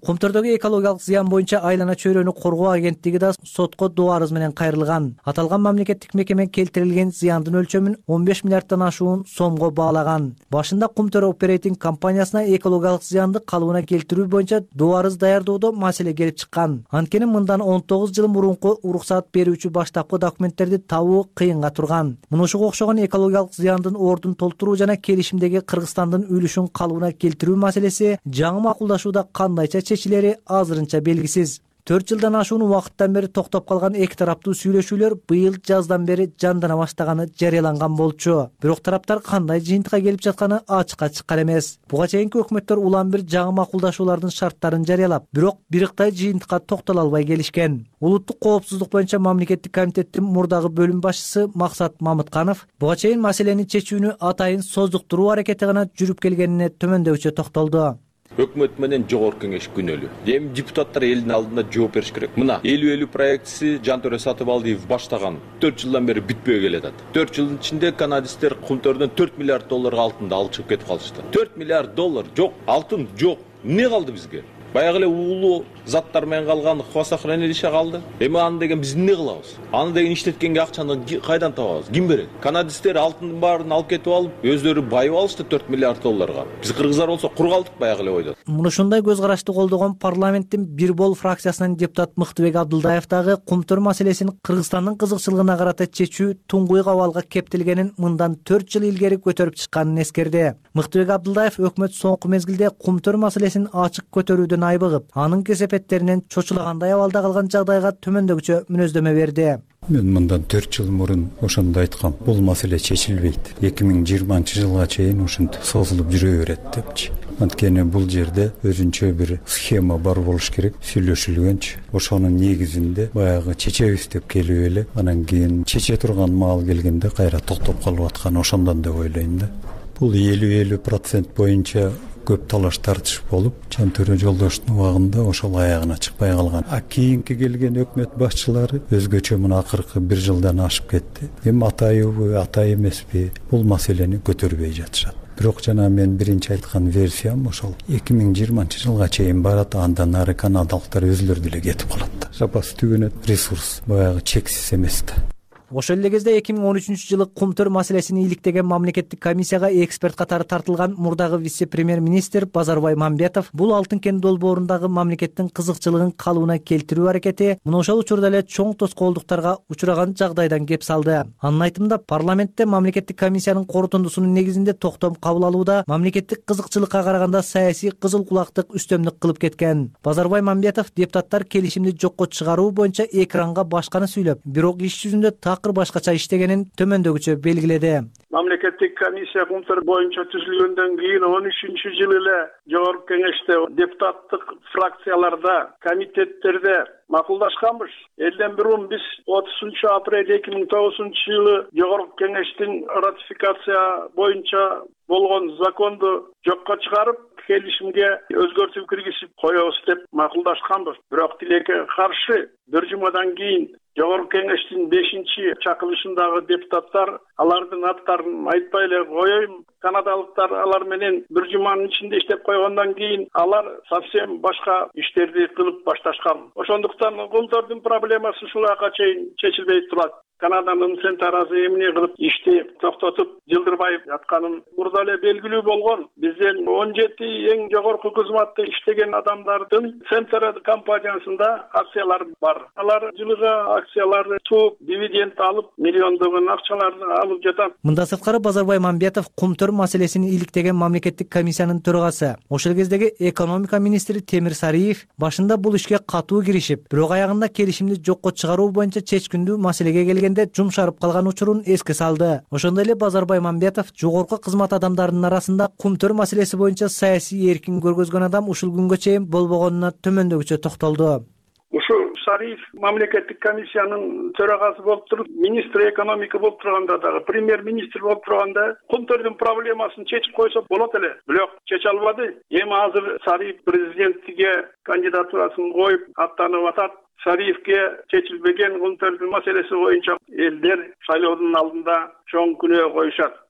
Кумтөрдөгү экологиялык зыян боюнча айлана чөйрөнү коргоо агенттиги да сотко доо арыз менен кайрылган. Аталган мамлекеттик мекеме келтирилген зыяндын өлчөмүн 15 миллиарддан ашуун сомго баалаган. Башында Кумтөр оперейтинг компаниясына экологиялык зыянды калыбына келтирүү боюнча доо арыз даярдоодо маселе келип чыккан. Анткени мындан 19 жыл мурунку уруксаат берүүчү баштапкы документтерди табуу кыйынга турган. Мына ушуга окшогон экологиялык зыяндын ордун толтуруу жана келишимдеги Кыргызстандын үлүшүн калыбына келтирүү маселеси жаңы макулдашууда кандайча чечилери азырынча белгисиз. 4 жылдан ашуун убакыттан бери токтоп калган эки тараптуу сүйлөшүүлөр быйыл жаздан бери жандана баштаганы жарыяланган болчу. Бирок тараптар кандай жыйынтыкка келип жатканы ачыкка чыккан эмес. Буга чейинки өкмөттөр улам бир жаңы макулдашуулардын шарттарын жарыялап, бирок бириктай жыйынтыкка токтоло албай келишкен. Улуттук коопсуздук боюнча мамлекеттик комитеттин мурдагы бөлүм башчысы Максат Мамытканов буга чейин маселени чечүүнү атайын создуктуруу аракети гана жүрүп келгенине төмөндөбүчө токтолду. Өкмөт менен жогорку кеңеш күнөөлүү. Эми депутаттар элдин алдында жооп бериш керек. Мына 50-50 проектиси Жантөре Сатыбалдиев баштаган 4 жылдан бери бүтпөй келатат. 4 жылдын ичинде канадисттер Кумтөрдөн 4 миллиард долларга алтынды алып чыгып кетип калышты. 4 миллиард доллар жок, алтын жок. Эмне калды бизге? Баягы эле уулуу заттар менен калган хвостохранилище калды. Эми аны деген биз эмне кылабыз? Аны деген иштеткенге акчаны кайдан табабыз? Ким берет? Канадисттер алтындын баарын алып кетип алып, өздөрү байып алышты 4 миллиард долларга. Биз кыргыздар болсо кур калдык баягы эле ойдо. Муну ушундай көз карашты колдогон парламенттин Бир бол фракциясынын депутат Мыктыбек Абдылдаев дагы Кумтөр маселесин Кыргызстандын кызыкчылыгына карата чечүү туңгуйк абалга кептелгенин мындан 4 жыл илгери көтөрүп чыкканын эскерди. Мыктыбек Абдылдаев өкмөт соңку мезгилде Кумтөр маселесин ачык көтөрүүдөн айбыгып, анын кесепеттеринен чочулагандай абалда калган жагдайга төмөндөгүчө мүнөздөмө берди. Мен мындан 4 жыл мурун ошондо айткам, бул маселе чечилбейт. 2020-жылга чейин ушинтип созулуп жүрө берет депчи. Анткени бул жерде өзүнчө бир схема бар болуш керек, сүйлөшүлгөнчү. Ошонун негизинде баягы чечебиз деп келип эле, анан кийин чече турган маал келгенде кайра токтоп калып аткан ошондон деп ойлойм да. Бул 50-50% боюнча көп талаш тартыш болуп, Жантөре жолдоштун убагында ошол аягына чыкпай калган. Кийинки келген өкмөт башчылары өзгөчө мына акыркы 1 жылдан ашып кетти. Эми атайбы, атай эмеспи, бул маселени көтөрбөй жатышат. Бирок жана мен биринчи айткан версиям ошол 2020-жылга чейин барат, андан ары канадалыктар өзүлөрү деле кетип калат. Запас түгөнөт, ресурс баягы чексиз эмес да. Ошол эле кезде 2013-жылы Кумтөр маселесин иликтеген мамлекеттик комиссияга эксперт катары тартылган мурдагы вице-премьер-министр Базарбай Мамбетов бул алтын кен долбоорундагы мамлекеттин кызыкчылыгын калыбына келтирүү аракети мына ошол учурда эле чоң тоскоолдуктарга учураган жагдайдан кеп салды. Анын айтымында парламентте мамлекеттик комиссиянын корутундусунун негизинде токтом кабыл алууда мамлекеттик кызыкчылыкка караганда саясий кызыл кулактык үстөмдүк кылып кеткен. Базарбай Мамбетов депутаттар келишимди жокко чыгаруу боюнча экранга башканы сүйлөп, бирок иш жүзүндө башкача иштегенин төмөндөгүчө белгиледи. Мамлекеттик комиссия Кумтөр боюнча түзүлгөндөн кийин 13-жылы эле жогорку кеңеште депутаттык фракцияларда, комитеттерде макулдашканбыз. Элден бирун биз 30 апрель 2009-жылы жогорку кеңештин ратификация боюнча болгон законду жокко чыгарып, келишимге өзгөртүү киргизип коебуз деп макулдашканбыз. Бирок тилекке каршы 1 жумадан кийин жогорку кеңештин 5-чакырылышындагы депутаттар алардын аттарын айтпай эле коеюн. Канадалыктар алар менен 1 жуманын ичинде иштеп койгондон кийин алар совсем башка иштерди кылып башташкан. Ошондуктан Кумтөрдүн проблемасы ушуларга чейин чечилбей турат. Канаданын центрасы эмне кылып ишти токтотуп жылдырбай жатканын мурда эле белгилүү болгон. Бизден 17 эң жогорку кызматта иштеген адамдардын Центр компаниясында акциялар бар. Алар жылыга акцияларды тууп, дивиденд алып, миллиондогон акчаларды алып жатат. Мындан сырткары Базарбай Мамбетов кумтөр маселесин иликтеген мамлекеттик комиссиянын төрагасы. Ошол кездеги экономика министри Темир Сариев башында бул ишке катуу киришип, бирок аягында келишимди жокко чыгаруу боюнча чечкиндүү маселеге келгенде жумшарып калган учурун эске салды. Ошондой эле Базарбай Мамбетов жогорку кызмат адамдарынын арасында кумтөр маселеси боюнча саясий эркин көргөзгөн адам ушул күнгө чейин болбогонуна төмөндөгүчө токтолду. Ушул Сариев мамлекеттик комиссиянын төрагасы болуп туруп, министр экономика болуп турганда дагы, премьер-министр болуп турганда кумтөрдүн проблемасын чечип койсо болот эле. Бирок чече албады. Эми азыр Сариев президенттикке кандидатурасын коюп аттанып атат. Сариевке чечилбеген кумтөрдүн маселеси боюнча элдер шайлоодун алдында чоң күнөө коюшат.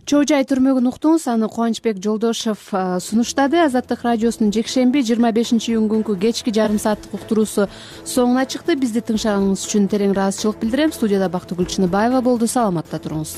Чоо жай түрмөгүн уктуңуз, аны Кубанычбек Жолдошев сунуштады. Азаттык радиосунун жекшемби 25-июнь кечки жарым сааттык уктуруусу соңуна чыкты. Бизди тыңшаганыңыз үчүн терең ыраазычылык билдирем. Студияда Бактыгүл Чыныбаева болду. Саламатта туруңуз.